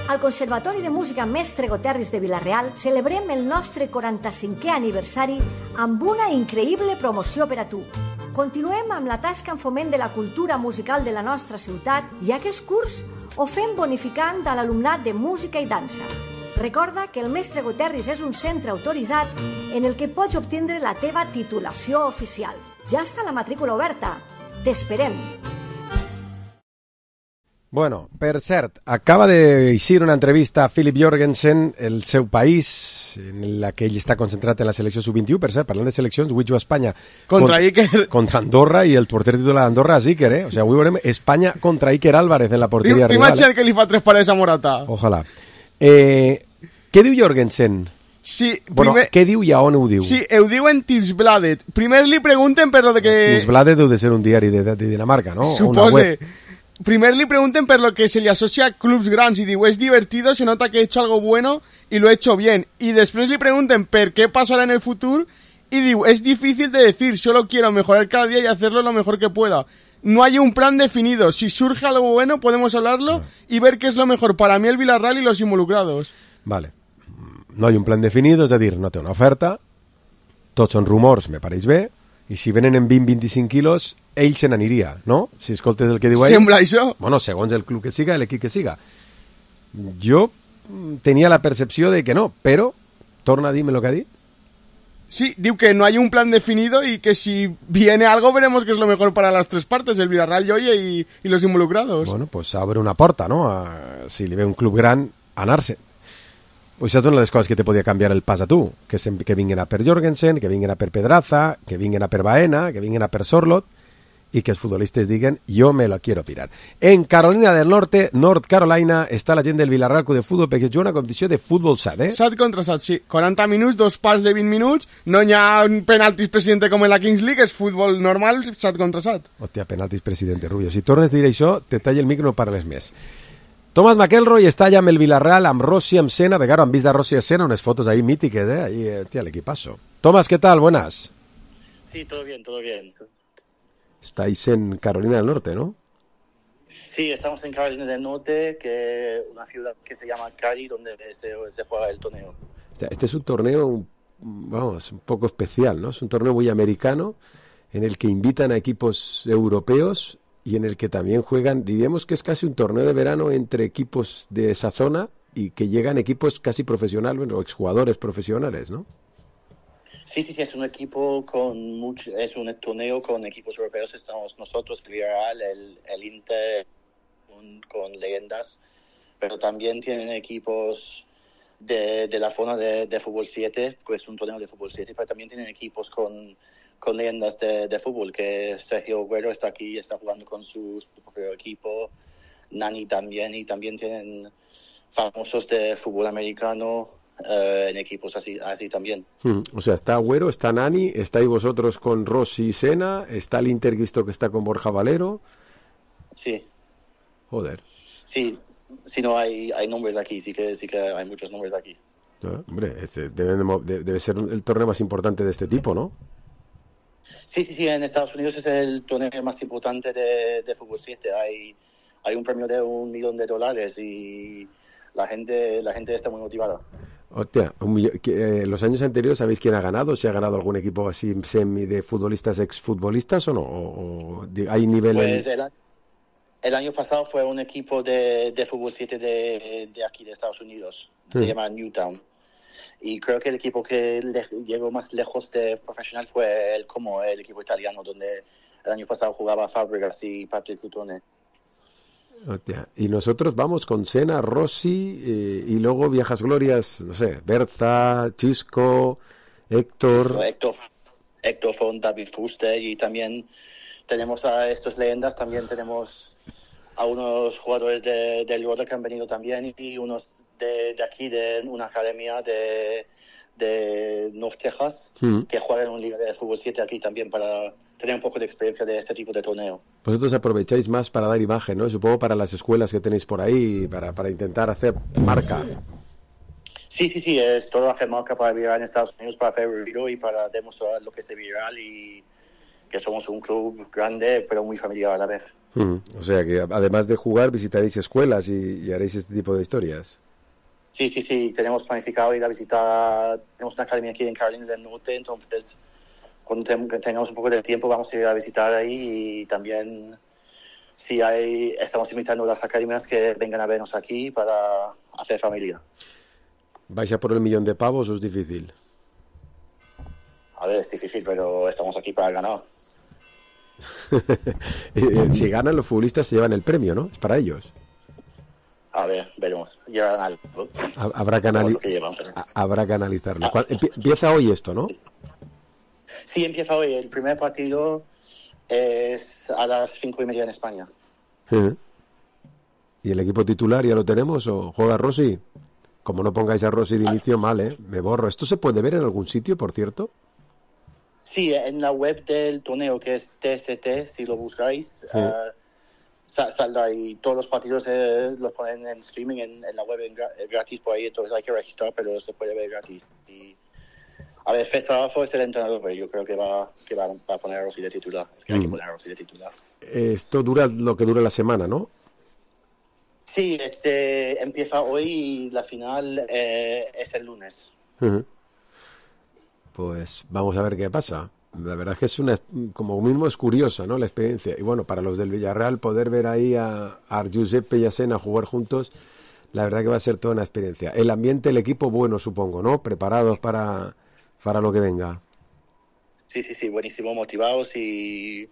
Al Conservatori de Música Mestre Goterris de Vila-real celebrem el nostre 45è aniversari amb una increïble promoció per a tu. Continuem amb la tasca en foment de la cultura musical de la nostra ciutat i aquest curs ho fem bonificant a l'alumnat de música i dansa. Recorda que el Mestre Goterris és un centre autoritzat en el que pots obtindre la teva titulació oficial. Ja està la matrícula oberta. T'esperem. Bueno, per cert, acaba d'eixir una entrevista a Philip Jorgensen, el seu país, en la que ell està concentrat en la selecció sub-21. Per cert, parlant de seleccions, avui juga Espanya contra Iker. Contra Andorra, i el porter titular d'Andorra és Iker, O sigui, avui veurem Espanya contra Iker Álvarez en la porteria rival. T'imagina't que li fa 3 parets a Morata. Ojalà. Què diu Jorgensen? Sí, bueno, què diu i a on ho diu? Sí, ho diu en Tipsbladet. Primer li pregunten per lo de que... Tipsbladet deu de ser un diari de Dinamarca, ¿no? Supose. Primer le pregunten por lo que se le asocia a clubs grandes y digo, es divertido, se nota que he hecho algo bueno y lo he hecho bien. Y después le pregunten por qué pasará en el futuro y digo, es difícil de decir, solo quiero mejorar cada día y hacerlo lo mejor que pueda. No hay un plan definido, si surge algo bueno podemos hablarlo y ver qué es lo mejor para mí, el Villarreal y los involucrados. Vale, no hay un plan definido, és a dir, no té una oferta, tots són rumors, me pareix bé, I si venen en 20-25 quilos, ell se n'aniria, no? Si escoltes el que diu ell... Sembla això? Bueno, segons el club que siga, l'equip que siga. Jo tenia la percepció de que no, però torna a dir-me el que ha dit. Sí, diu que no hay un plan definido y que si viene algo veremos que es lo mejor para las tres partes, el Villarreal, Joye y los involucrados. Bueno, pues abre una porta, no? Si li ve un club gran, anar-se. Pues això és una de les coses que te podia canviar el pas a tu, que vinguin a per Jorgensen, que vinguin a per Pedraza, que vinguin a per Baena, que vinguin a per Sorlot, i que els futbolistes diguen, yo me lo quiero pirar. En Carolina del Norte, North Carolina, està la gent del Villarreal Club de Futbol perquè es juga una competició de futbol sat, eh? Sat contra sat, sí. 40 minuts, 2 parts de 20 minuts, no hi ha penaltis presidente com en la Kings League, és futbol normal, sat contra sat. Hòstia, penaltis presidente, Rubio. Si tornes a dir això, te talla el micro, no parles més. Thomas McElroy està allà amb el Villarreal, amb Rossi, amb Senna, de cara, han vist a Rossi a Senna, unes fotos ahí mítiques, eh? Ahí, tía, l'equipazo. Thomas, ¿qué tal? Buenas. Sí, todo bien, todo bien. Estáis en Carolina del Norte, ¿no? Sí, estamos en Carolina del Norte, que una ciudad que se llama Cary, donde se juega el torneo. Este es un torneo, vamos, un poco especial, ¿no? Es un torneo muy americano, en el que invitan a equipos europeos y en el que también juegan, diríamos que es casi un torneo de verano entre equipos de esa zona y que llegan equipos casi profesionales o exjugadores profesionales, ¿no? Sí, es un equipo es un torneo con equipos europeos. Estamos nosotros, el Villarreal, el Inter, con leyendas, pero también tienen equipos de la zona de fútbol 7, pues es un torneo de fútbol 7, pero también tienen equipos con leyendas de fútbol, que Sergio Agüero está aquí, está jugando con su propio equipo, Nani también, y también tienen famosos de fútbol americano en equipos así también. O sea, está Agüero, está Nani, estáis vosotros con Rossi y Senna, está el Inter visto que está con Borja Valero. Sí. Joder. Sí, no hay nombres aquí, sí que hay muchos nombres aquí. Hombre, debe ser el torneo más importante de este tipo, ¿no? Sí, en Estados Unidos es el torneo más importante de fútbol 7. Hay un premio de $1 millón y la gente está muy motivada. Hostia, ¿los años anteriores sabéis quién ha ganado? ¿Se ha ganado algún equipo así semi de futbolistas, exfutbolistas o no? ¿O hay nivel? Pues el año pasado fue un equipo de fútbol 7 de aquí de Estados Unidos. Se llama Newtown. Y creo que el equipo que llegó más lejos de profesional fue el equipo italiano, donde el año pasado jugaba Fabregas y Patrick Cutone. Hostia. Y nosotros vamos con Senna, Rossi y luego viejas glorias, no sé, Berza, Chisco, Héctor Font, David Fuster, y también tenemos a estos leyendas, también tenemos a unos jugadores del Roda que han venido también y unos de aquí, de una academia de North Texas, que juegan en una liga de fútbol 7 aquí también para tener un poco de experiencia de este tipo de torneo. Vosotros aprovecháis más para dar imagen, ¿no? Supongo para las escuelas que tenéis por ahí, para intentar hacer marca. Sí, es todo hacer marca para Villarreal en Estados Unidos, para hacer ruido y para demostrar lo que es Villarreal y que somos un club grande pero muy familiar a la vez. O sea que además de jugar visitaréis escuelas y haréis este tipo de historias. Sí, tenemos planificado ir a visitar, tenemos una academia aquí en Carolina del Norte, entonces cuando tengamos un poco de tiempo vamos a ir a visitar ahí y también estamos invitando a las academias que vengan a vernos aquí para hacer familia. ¿Vais a por el $1 millón o es difícil? A ver, es difícil, pero estamos aquí para ganar. Si ganan los futbolistas se llevan el premio, ¿no? Es para ellos. A ver, veremos. Llevan algo. Habrá que analizarlo. Empieza hoy esto, ¿no? Sí, empieza hoy. El primer partido es a las 5:30 en España. ¿Y el equipo titular ya lo tenemos o juega Rossi? Como no pongáis a Rossi de inicio, mal, ¿eh? Me borro. ¿Esto se puede ver en algún sitio, por cierto? Sí, en la web del torneo, que es TST, si lo buscáis, saldrá y todos los partidos los ponen en streaming en la web gratis por ahí, entonces hay que registrar, pero se puede ver gratis. Y, a ver, Festarazo es el entrenador, pero yo creo que va a poner a Rossi de titular. Es que hay que poner a Rossi de titular. Esto dura lo que dura la semana, ¿no? Sí, empieza hoy y la final es el lunes. Pues vamos a ver qué pasa. La verdad es que como mismo es curiosa, ¿no? La experiencia. Y bueno, para los del Villarreal poder ver ahí a Giuseppe y a Sena jugar juntos, la verdad que va a ser toda una experiencia. El ambiente, el equipo, bueno, supongo, ¿no? Preparados para lo que venga. Sí, buenísimo, motivados y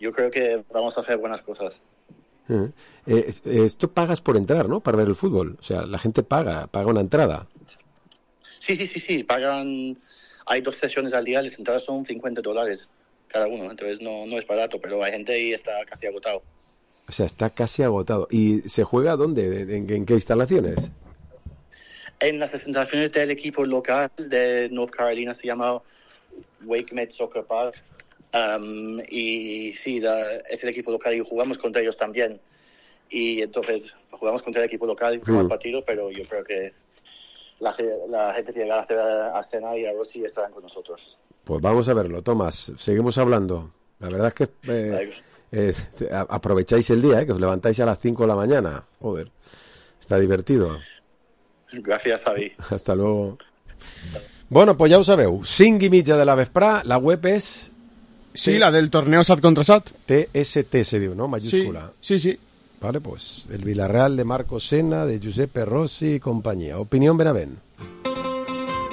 yo creo que vamos a hacer buenas cosas. Esto pagas por entrar, ¿no? Para ver el fútbol. O sea, la gente paga una entrada. Sí, pagan. Hay 2 sesiones al día, las entradas son $50 cada uno, entonces no es barato, pero hay gente y está casi agotado. O sea, está casi agotado. ¿Y se juega dónde? ¿En qué instalaciones? En las instalaciones del equipo local de North Carolina, se llama WakeMed Soccer Park. Y sí, es el equipo local y jugamos contra ellos también. Y entonces jugamos contra el equipo local en el partido, pero yo creo que la gente tiene ganas a Sena y a Rossi estarán con nosotros. Pues vamos a verlo, Tomás. Seguimos hablando. La verdad es que aprovecháis el día, que os levantáis a las 5 de la mañana. Joder, está divertido. Gracias, Javi. Hasta luego. Bueno, pues ja ho sabeu. 5:30 de la vesprà, la web és... Sí, la del torneo SAT contra SAT. TST se diu, ¿no? Mayúscula. Sí. Vale, pues el Villarreal de Marco Sena, de Giuseppe Rossi y compañía. Opinión Benavent.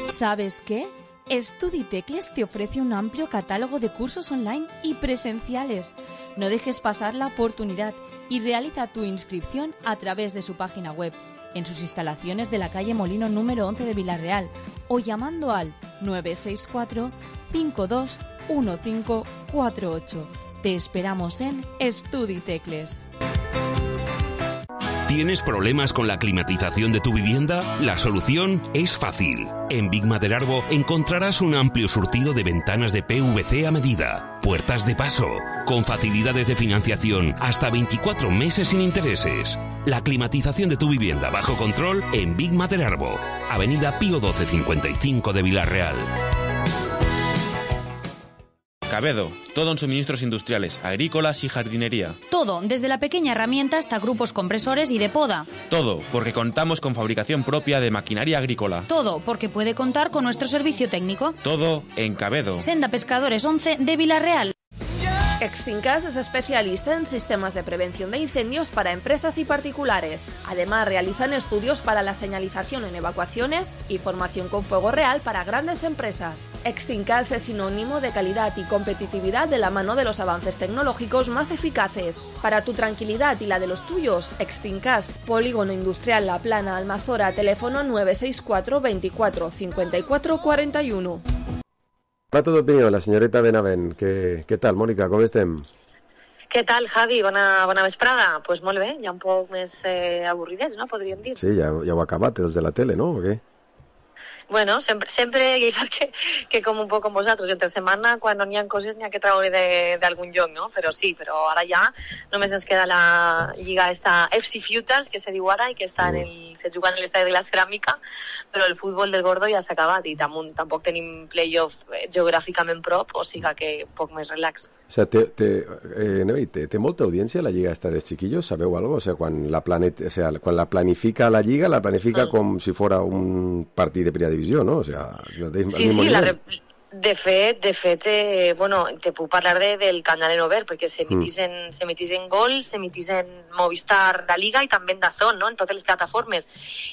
¿Sabes qué? Estuditecles te ofrece un amplio catálogo de cursos online y presenciales. No dejes pasar la oportunidad y realiza tu inscripción a través de su página web, en sus instalaciones de la calle Molino número 11 de Villarreal o llamando al 964 521548. Te esperamos en Estuditecles. ¿Tienes problemas con la climatización de tu vivienda? La solución es fácil. En Big Madelarbo encontrarás un amplio surtido de ventanas de PVC a medida, puertas de paso, con facilidades de financiación hasta 24 meses sin intereses. La climatización de tu vivienda bajo control en Big Madelarbo, Avenida Pío 1255 de Villarreal. Cabedo, todo en suministros industriales, agrícolas y jardinería. Todo, desde la pequeña herramienta hasta grupos compresores y de poda. Todo, porque contamos con fabricación propia de maquinaria agrícola. Todo, porque puede contar con nuestro servicio técnico. Todo en Cabedo. Senda Pescadores 11 de Villarreal. Exfincas es especialista en sistemas de prevención de incendios para empresas y particulares. Además, realizan estudios para la señalización en evacuaciones y formación con fuego real para grandes empresas. Exfincas es sinónimo de calidad y competitividad de la mano de los avances tecnológicos más eficaces. Para tu tranquilidad y la de los tuyos, Exfincas, Polígono Industrial La Plana, Almazora, teléfono 964 24 54 41. Rato d'opinió, la senyoreta Benavent. Què tal, Mònica, com estem? Què tal, Javi? Bona vesprada. Doncs pues molt bé, ja un poc més avorridets, no?, podríem dir. Sí, ja heu acabat, els de la tele, no?, o què? Bueno, sempre ja saps que com un poc com vosaltres, entre setmana, quan no n'hi ha coses, n'hi ha que treure d'algun lloc, no? Però sí, però ara ja només ens queda la lliga esta FC Futures, que se diu ara, i que està se juga en l'estadi de la Ceràmica, però el futbol del Gordo ja s'ha acabat i tampoc tenim playoff geogràficament prop, o sigui que poc més relax. O sea, té molta audiència la lliga esta dels chiquillos, sabeu algo? O sea, quan la planifica la lliga, la planifica com si fora un partit de primera divisió, ¿no? O sea, no tenéis el mismo nivel. De fet, bueno, te puc parlar del canal en obert, perquè s'emitís en Gol, s'emitís en Movistar, la Liga, i també en DAZN, no?, en totes les plataformes.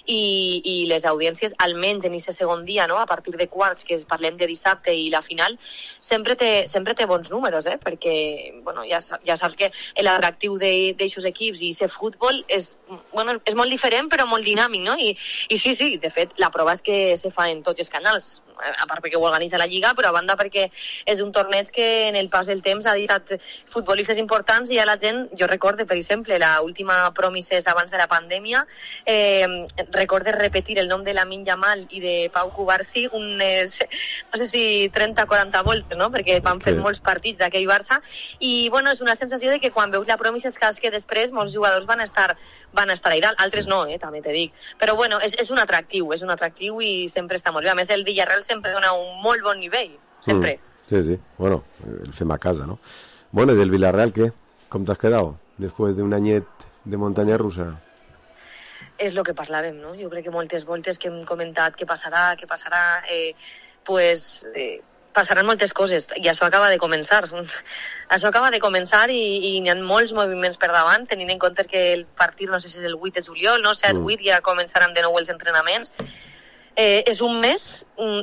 I les audiències, almenys en aquest segon dia, no?, a partir de quarts, que parlem de dissabte i la final, sempre té bons números, perquè, bueno, ja saps que l'atractiu d'aixos equips i aquest futbol és molt diferent, però molt dinàmic, no? I sí, de fet, la prova és que se fa en tots els canals, a part perquè ho organitza la Lliga, però a banda perquè és un torneig que en el pas del temps ha deixat futbolistes importants i a la gent, jo recorde, per exemple, l'última Promises abans de la pandèmia, recorde repetir el nom de Lamine Yamal i de Pau Cubarsí unes, no sé si 30-40 voltes, no?, perquè van fer molts partits d'aquell Barça, i bueno, és una sensació de que quan veus la Promises saps que després molts jugadors van estar a dalt, altres no, també te dic, però bueno, és un atractiu i sempre està molt bé. A més, el Villarreal sempre dona un molt bon nivell, sempre. Sí, bueno, el fem a casa, ¿no? Bueno, ¿y del Villarreal qué? ¿Cómo te has quedado después de un añet de montaña rusa? És el que parlàvem, no? Jo crec que moltes voltes que hem comentat què passarà, pues passaran moltes coses, i això acaba de començar. Això acaba de començar i n'hi ha molts moviments per davant, tenint en compte que el partit, no sé si és el 8 de juliol, no? 7-8, ja començaran de nou els entrenaments. És un mes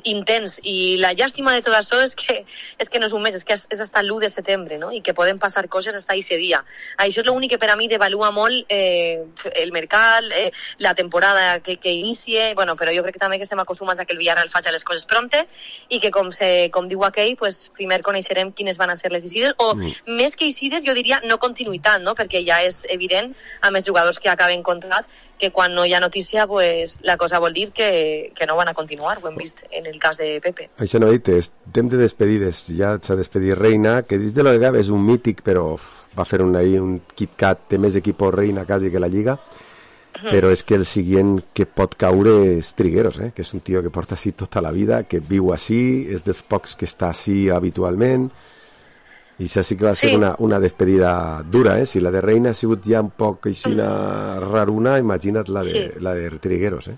intens, i la llàstima de tot això és que no és un mes, és que és fins l'1 de setembre, no? I que poden passar coses fins a aquest dia. Això és l'únic que per a mi devalua molt el mercat, la temporada que inicie, bueno, però jo crec que també que estem acostumats a que el Villarreal faci les coses pronte, i que com diu aquell, pues, primer coneixerem quines van a ser les eixides, o més que eixides jo diria no continuïtat, no? Perquè ja és evident amb els jugadors que acaben contrat que quan no hi ha notícia, pues, la cosa vol dir que no van a continuar, ho hem vist en el cas de Pepe. Això no he dit, temps de despedides, ja s'ha despedit Reina, que dins de la Liga és un mític, però va fer un KitKat, té més equip Reina quasi que la Lliga, però és que el següent que pot caure és Trigueros, que és un tio que porta així tota la vida, que viu així, és dels pocs que està així habitualment, i això sí que va ser una despedida dura, si la de Reina ha sigut ja un poc així raruna, imagina't la de Trigueros,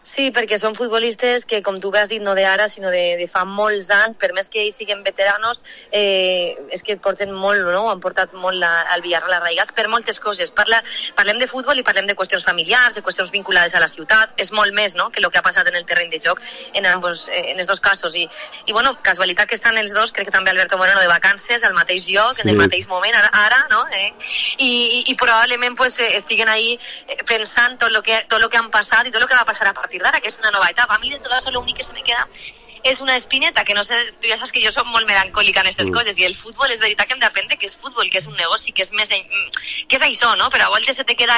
Sí, perquè són futbolistes que, com tu bé has dit, no d'ara, sinó de fa molts anys, per més que ells siguin veteranos, és que porten molt, no? Han portat molt al Villarreal arraigats per moltes coses. Parlem de futbol i parlem de qüestions familiars, de qüestions vinculades a la ciutat, és molt més, no?, que el que ha passat en el terreny de joc en els dos casos. I bueno, casualitat que estan els dos, crec que també Alberto Moreno de vacances, al mateix lloc, en el mateix moment, ara, no? I probablement pues, estiguen ahí pensant tot lo que han passat i tot lo que va passar a partir d'ara, que és una nova etapa. A mi de tot això l'únic que se me queda és una espineta, que no sé, tu ja saps que jo soc molt melancòlica en aquestes coses, i el futbol és veritat que hem d'aprendre que és futbol, que és un negoci, que és més que és això, no? Però a voltes se te queda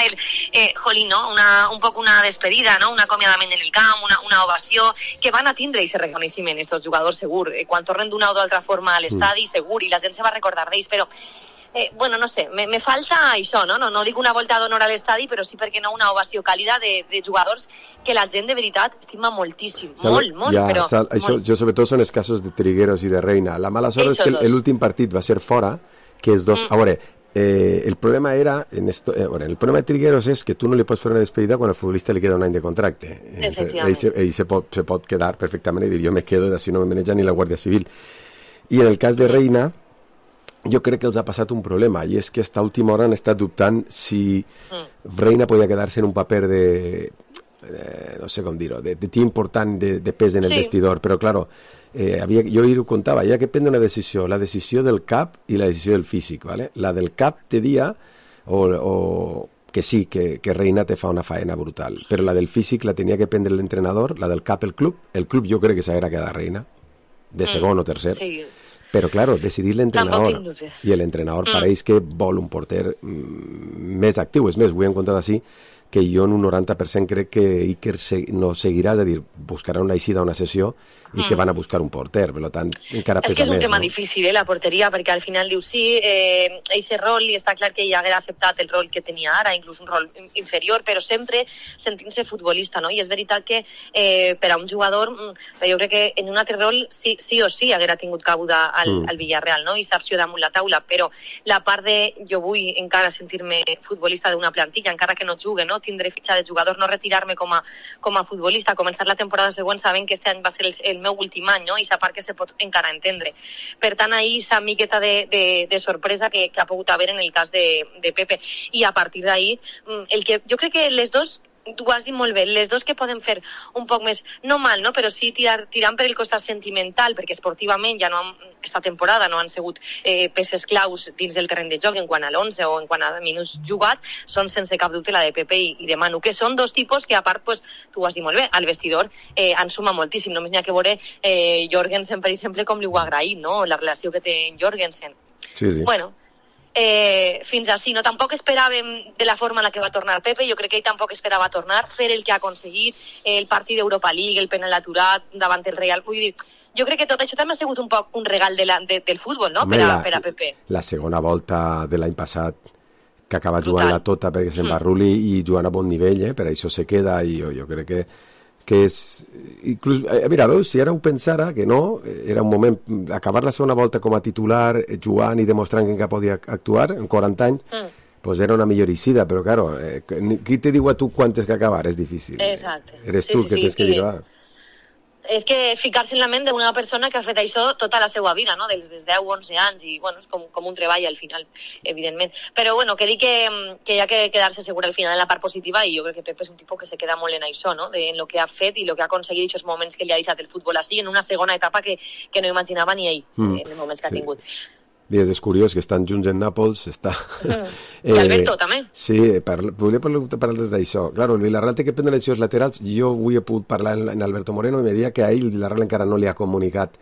jolín, no? Un poc una despedida, no? Un acomiadament en el camp, una ovació, que van a tindre aquest reconeixement, estos jugadors segur, quan tornen d'una o d'altra forma a l'estadi, segur, i la gent se va recordar d'ells, però bueno, no sé, me falta això, no? No dic una volta d'honor a l'estadi, però sí, perquè no, una ovació càlida de jugadors que la gent de veritat estima moltíssim, molt, però... Això, jo sobretot són els casos de Trigueros i de Reina. La mala sort és que l'últim partit va ser fora, que els dos... A veure, el problema era... el problema de Trigueros és que tu no li pots fer una despedida quan al futbolista li queda un any de contracte. Ell se pot quedar perfectament i dir, jo me quedo, així no me maneja ni la Guàrdia Civil. I en el cas de Reina... jo crec que els ha passat un problema, i és que a última hora han estat dubtant si Reina podia quedar-se en un paper no sé com dir-ho, de tio important de pes en el vestidor, però claro, jo ho contava, hi ha que prendre una decisió, la decisió del cap i la decisió del físic, ¿vale? La del cap te dia o que sí, que Reina te fa una faena brutal, però la del físic la tenia que prendre l'entrenador, la del cap el club jo crec que s'haguera quedat Reina de segon o tercer. Sí. Però, claro, decidir l'entrenador, i l'entrenador pareix que vol un porter més actiu. És més, ho he encontrat així, que jo en un 90% crec que Iker no seguirà, és a dir, buscarà una eixida, una sessió, i que van a buscar un porter, per tant, encara pesa més. És que és un tema difícil, la porteria, perquè al final dius, sí, aquest rol, i està clar que ja haguera acceptat el rol que tenia ara, inclús un rol inferior, però sempre sentint-se futbolista, no? I és veritat que per a un jugador, jo crec que en un altre rol sí o sí haguera tingut cabuda al Villarreal, no? I s'opció damunt la taula, però la part de jo vull encara sentir-me futbolista d'una plantilla, encara que no jugue, no? Tindré fitxa de jugador, no retirar-me com a futbolista, començar la temporada següent sabent que este any va ser el meu últim any, no? I esa part que se pot encara entendre. Per tant, ahir esa miqueta de sorpresa que ha pogut haver en el cas de Pepe. I a partir d'ahir, jo crec que les dos, tu ho has dit molt bé, les dos que poden fer un poc més, no mal, no? Però sí tirant per el costat sentimental, perquè esportivament ja no esta temporada no han sigut peces claus dins del terreny de joc en quant a l'11 o en quant a minuts jugats, són sense cap dubte la de Pepe i de Manu, que són dos tipus que a part, pues, tu ho has dit molt bé, al vestidor han sumat moltíssim, només n'hi ha que veure Jorgensen, per exemple, com li ho ha agraït, no? La relació que té en Jorgensen. Sí. Bueno, fins així, no? Tampoc esperàvem de la forma en la que va tornar Pepe, jo crec que ell tampoc esperava tornar, fer el que ha aconseguit, el partit d'Europa League, el penal aturat davant el Real, vull dir, jo crec que tot això també ha sigut un poc un regal del futbol, no? Per a Pepe. La segona volta de l'any passat, que acaba jugant-la tota perquè se'n va Rulli i jugant a bon nivell, per això se queda, i jo crec que és... Inclús, mira, veus, si ara ho pensara, que no, era un moment, acabar la segona volta com a titular, jugant i demostrant que encara podia actuar, en 40 anys, pues era una millor eixida, però claro, qui te diu a tu quantes que acabar? És difícil. Exacte. Eres tu que tens que dir, va. és que és ficar-se en la ment d'una persona que ha fet això tota la seva vida, no? Dels 10 o 11 anys, i bueno, és com un treball al final, evidentment. Però bueno, que dic que hi ha que quedar-se segur al final en la part positiva, i jo crec que Pep és un tipus que se queda molt en això, no? En lo que ha fet i lo que ha aconseguit, aquests moments que li ha deixat el futbol així, en una segona etapa que no imaginava ni ell, en els moments que ha tingut. És curiós que estan junts en Nàpols, està... I Alberto, també. Sí, volia parlar d'això. Claro, el Villarreal té que prendre les laterals. Jo avui he pogut parlar en Alberto Moreno i me deia que a ell el Villarreal encara no li ha comunicat,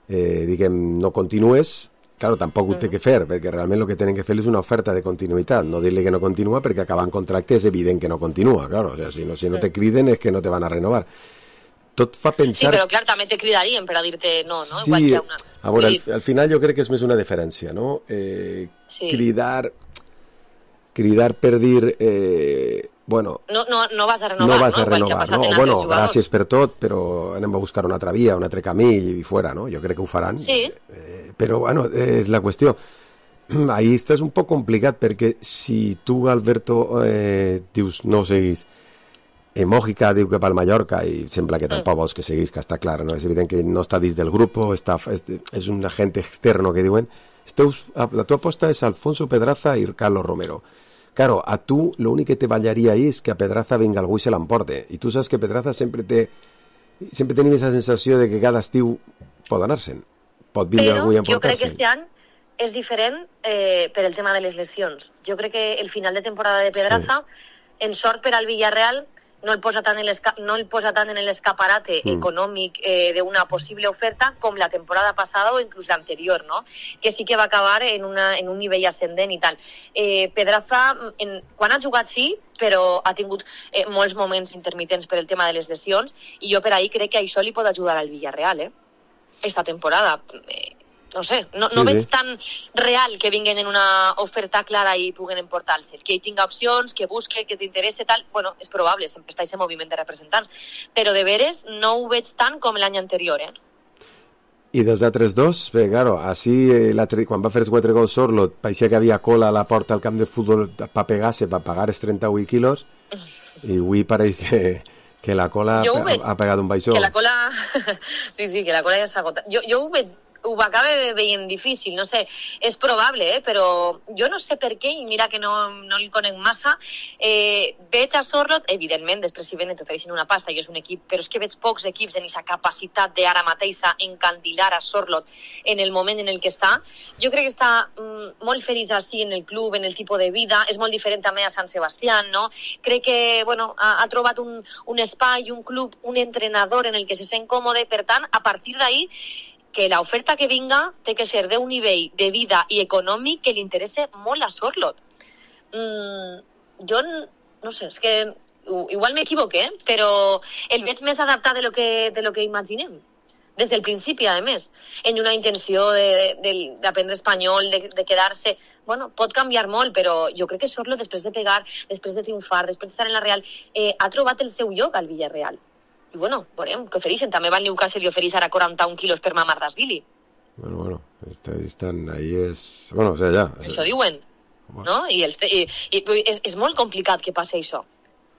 diguem, no continues. Claro, tampoc ho té que fer, perquè realment el que tenen que fer és una oferta de continuïtat, no dir-li que no continua, perquè acabant contracte és evident que no continua, claro. O sea, si no te criden és que no te van a renovar. Tot fa pensar... Sí, però clar, també te cridarien per a dir-te no, no? Sí, igual que una... a veure, al final jo crec que és més una diferència, no? Sí. Cridar per dir... bueno... No vas a renovar, no vas a igual renovar, no? Bueno, gràcies per tot, però anem a buscar una altra via, un altre camí i fora, no? Jo crec que ho faran. Sí. Però, bueno, és la qüestió. Ahí estàs un poc complicat, perquè si tu, Alberto, dius no seguis... Mójica diu que pel Mallorca i sembla que tampoc vols que seguís, que està clar, no? És evident que no està dins del grup, és un agente externo que diuen. La tua aposta és Alfonso Pedraza i Carlos Romero. Claro, a tu l'únic que te ballaria ahí és que a Pedraza venga algú i se l'emporte. I tu saps que Pedraza sempre tenim aquesta sensació de que cada estiu pot anar-se'n. Pot vindre algú i emportar-se. Jo crec que este any és diferent per el tema de les lesions. Jo crec que el final de temporada de Pedraza, en sort per al Villarreal, no el posa tant en l'escaparate econòmic d'una possible oferta com la temporada passada o inclús l'anterior, no? Que sí que va acabar en un nivell ascendent i tal. Pedraza, quan ha jugat sí, però ha tingut molts moments intermitents per el tema de les lesions, i jo per ahir crec que això li pot ajudar al Villarreal, esta temporada. No sé, no veig tan real que vinguin en una oferta clara i puguen emportar-se. Que hi tinga opcions, que busque, que t'interesse, tal... Bueno, és probable, sempre està aquest moviment de representants. Però de veres no ho veig tant com l'any anterior, I dels altres dos, bé, claro, així quan va fer els 4 gols Sorlot, parecía que havia cola a la porta al camp de futbol per pegar-se, per pagar els 38 quilos, i avui pareix que la cola ha pegat un baixó. Que la cola... Sí, que la cola ja s'ha agotat. Jo ho acaba veient difícil, no sé, és probable, però jo no sé per què, i mira que no li conec massa, veig a Sorlot, evidentment, després si venen t'ofereixen una pasta i és un equip, però és que veig pocs equips en aquesta capacitat d'ara mateix encandilar a Sorlot en el moment en el que està. Jo crec que està molt feliç així en el club, en el tipus de vida, és molt diferent també a Sant Sebastián, no? Crec que, bueno, ha trobat un espai, un club, un entrenador en el que se sent còmode, per tant, a partir d'ahí, que l'oferta que vinga té que ser d'un nivell de vida i econòmic que li interessa molt a Sorlot. Jo no sé, és que igual m'equivoqué, però el veig més adaptat de lo que imaginem. Des del principi, a més, en una intenció d'aprendre espanyol, de quedar-se... Bueno, pot canviar molt, però jo crec que Sorlot, després de pegar, després de triomfar, després d'estar en la Real, ha trobat el seu lloc al Villarreal. I bueno, veurem què ofereixen. També va al Newcastle i ofereix ara 41 quilos per Mamardashvili. Bueno, estan ahí és... Bueno, o sea, ja... Això diuen, no? I és molt complicat que passi això.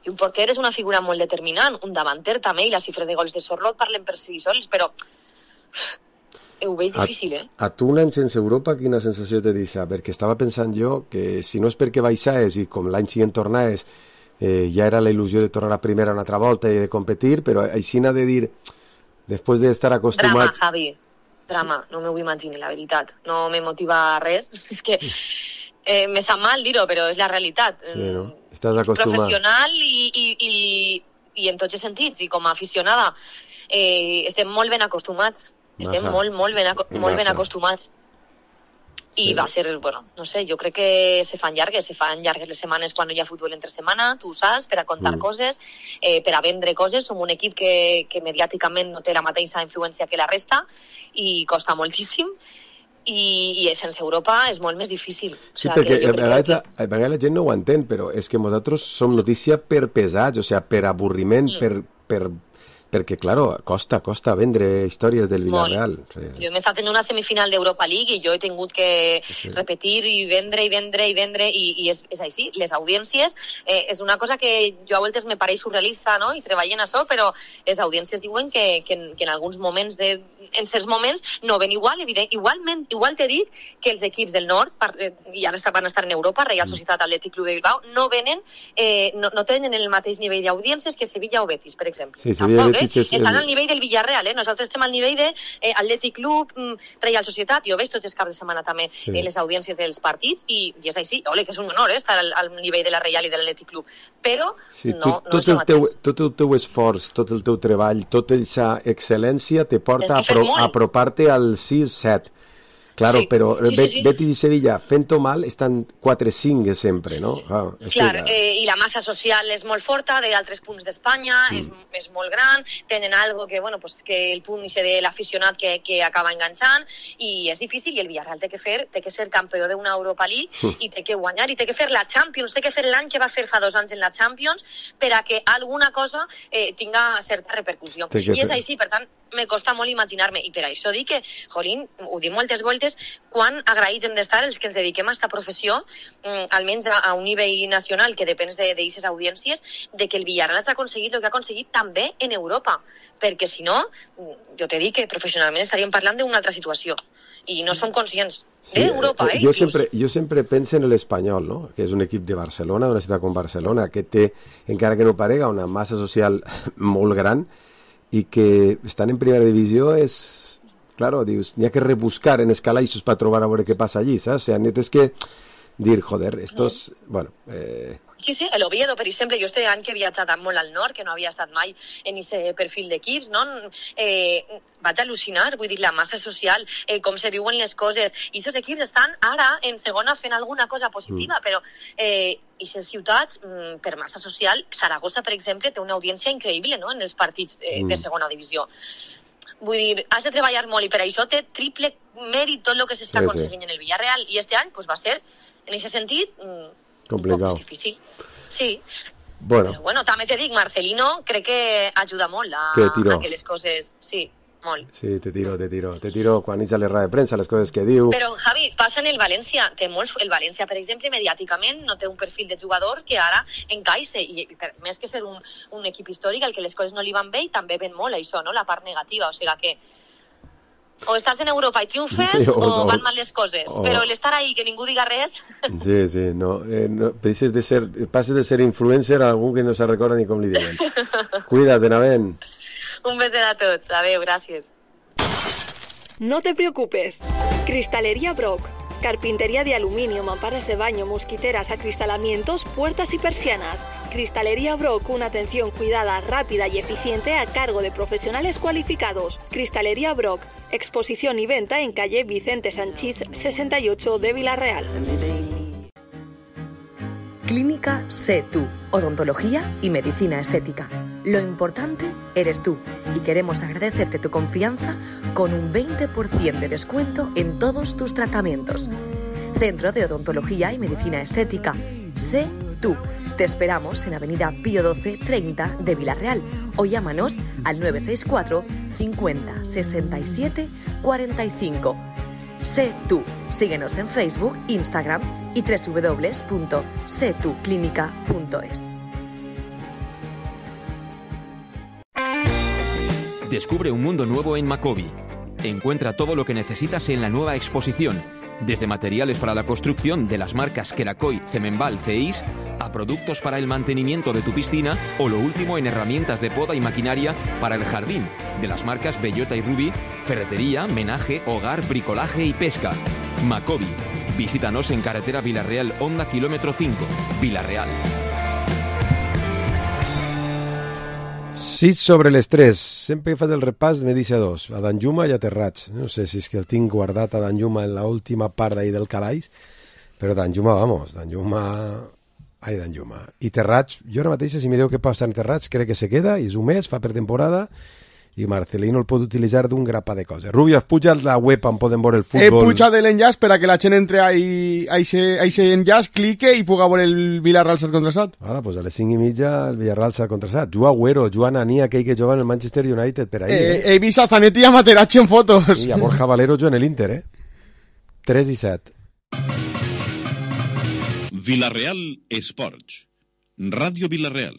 I un porter és una figura molt determinant, un davanter també, i les xifres de gols de Sorlot parlen per si sols, però ho veig difícil, A tu un any sense Europa, quina sensació te deixa? Perquè estava pensant jo que si no és perquè baixaes i com l'any següent tornaes, ja era la il·lusió de tornar a primera una altra volta i de competir, però així n'ha de dir, després d'estar acostumat... Drama, Javi, drama, no m'ho imagino, la veritat. No me motiva res, és que me sap mal dir-ho, però és la realitat. Sí, no? Estàs acostumat. Professional i en tots els sentits, i com a aficionada estem molt ben acostumats, estem molt ben acostumats. I va ser, bueno, no sé, jo crec que se fan llargues les setmanes quan no hi ha futbol entre setmana, tu saps, per a contar coses, per a vendre coses. Som un equip que mediàticament no té la mateixa influència que la resta i costa moltíssim, i sense Europa és molt més difícil. Sí, perquè a vegades la gent no ho entén, però és que nosaltres som notícia per pesats, o sigui, per avorriment, per perquè, claro, costa vendre històries del Villarreal. Sí. Jo m'he estat en una semifinal d'Europa League i jo he tingut que repetir i vendre i és així. Les audiències és una cosa que jo a voltes me pareix surrealista, no? I treballo en això, però les audiències diuen que en alguns moments, en certs moments, no ven igual. Igual t'he dit que els equips del nord, i ara van estar en Europa, Real Societat, Atlètic Club de Bilbao, no tenen el mateix nivell d'audiències que Sevilla o Betis, per exemple. Sí, Sevilla i Betis estan al nivell del Villarreal, Nosaltres estem al nivell de Atlètic Club, Real Societat. Jo veig tots els caps de setmana també les audiències dels partits i és així. Ole, que és un honor estar al nivell de la Real i de l'Atlètic Club. Però no és el mateix. Tot el teu esforç, tot el teu treball, tota aquesta excel·lència te porta a apropar-te al 6-7. Claro, sí, però Betis i Sevilla, fent-ho mal, estan 4-5 sempre, no? Clar, i la massa social és molt forta, d'altres punts d'Espanya, és molt gran, tenen algo que, bueno, pues, que el punt de l'aficionat que acaba enganxant, i és difícil, i el Villarreal té que ser campió d'una Europa League, i té que guanyar, i té que fer la Champions, té que fer l'any que va fer fa 2 anys en la Champions, per a que alguna cosa tinga certa repercussió. I és així, per tant, me costa molt imaginar-me, i per això dic que, jolín, ho dic moltes voltes, quan agraïts hem d'estar els que ens dediquem a aquesta professió, almenys a un nivell nacional que depèn d'aquestes audiències, de que el Villarreal ha aconseguit el que ha aconseguit també en Europa, perquè si no, jo t'he dit que professionalment estaríem parlant d'una altra situació, i no som conscients d'Europa. Jo sempre penso en l'Espanyol, no? Que és un equip de Barcelona, d'una ciutat com Barcelona, que té, encara que no parega, una massa social molt gran, i que estan en primera divisió és, claro, dius, n'hi ha que rebuscar en escalaixos per trobar a veure què passa allí, saps? O sigui, tens que dir, joder, estos, bueno... Sí, l'Oviedo, per exemple, jo este any que he viatjat molt al nord, que no havia estat mai en aquest perfil d'equips, no? Vaig al·lucinar, vull dir, la massa social, com se viuen les coses, i aquests equips estan ara en segona fent alguna cosa positiva, però aquestes ciutats, per massa social, Saragossa, per exemple, té una audiència increïble, no?, en els partits de segona divisió. Vull dir, has de treballar molt, i per això té triple mèrit tot el que s'està aconseguint en el Villarreal, i este any va ser, en aquest sentit, complicat. Un poc més difícil. Sí. Bueno. Però bueno, també te dic, Marcelino crec que ajuda molt a que les coses... Sí, molt. Sí, te tiro quan ets a les rodes de premsa, les coses que diu... Però, Javi, passa en el València. El València, per exemple, mediàticament no té un perfil de jugadors que ara encaixa. I més que ser un equip històric, el que les coses no li van bé, i també ven molt això, no?, la part negativa. O sigui que o estàs en Europa i triomfes, o van mal les coses. Però l'estar ahí, que ningú diga res... Sí, no passes de ser influencer a algú que no se recorda ni com li diuen. Cuida't, Navent. Un beset a tots. Adéu, gràcies. No te preocupes. Cristalería Brock. Carpintería de aluminio, mamparas de baño, mosquiteras, acristalamientos, puertas y persianas. Cristalería Brock, una atención cuidada, rápida y eficiente a cargo de profesionales cualificados. Cristalería Brock, exposición y venta en calle Vicente Sanchís 68 de Villarreal. Clínica Sé Tú, odontología y medicina estética. Lo importante eres tú y queremos agradecerte tu confianza con un 20% de descuento en todos tus tratamientos. Centro de Odontología y Medicina Estética. Sé Tú. Te esperamos en Avenida Pío 12 30 de Villarreal o llámanos al 964 50 67 45. Sé Tú. Síguenos en Facebook, Instagram y www.setuclinica.es. Descubre un mundo nuevo en Macobi. Encuentra todo lo que necesitas en la nueva exposición, desde materiales para la construcción de las marcas Kerakoy, Cemenbal, CEIS, a productos para el mantenimiento de tu piscina o lo último en herramientas de poda y maquinaria para el jardín, de las marcas Bellota y Ruby, ferretería, menaje, hogar, bricolaje y pesca. Macobi. Visítanos en carretera Villarreal, Honda, kilómetro 5, Villarreal. 6 sobre les 3. Sempre he fet el repàs, me deixa 2. A Danjuma i a Terrats. No sé si és que el tinc guardat a Danjuma en l'última part d'ahir del calaix, però Danjuma, vamos, Danjuma... I Terrats, jo ara mateix, si mireu què passa en Terrats, crec que se queda, i és un mes, fa pretemporada, i Marcelino el pot utilitzar d'un grapa de coses. Rubio, has pujat la web on poden veure el futbol? He pujat l'enllaç per a que la gent entre a aquest enllaç, clique i puga veure el Villarreal Sat contra Sat. Ara, pues a les 5:30 el Villarreal Sat contra Sat. Juga Agüero, juga Nani, aquell que juga en el Manchester United per ahí. He vist a Zanetti i a Materazzi en fotos. I a Borja Valero juga en l'Inter, 3:07. Villarreal Esports. Ràdio Villarreal.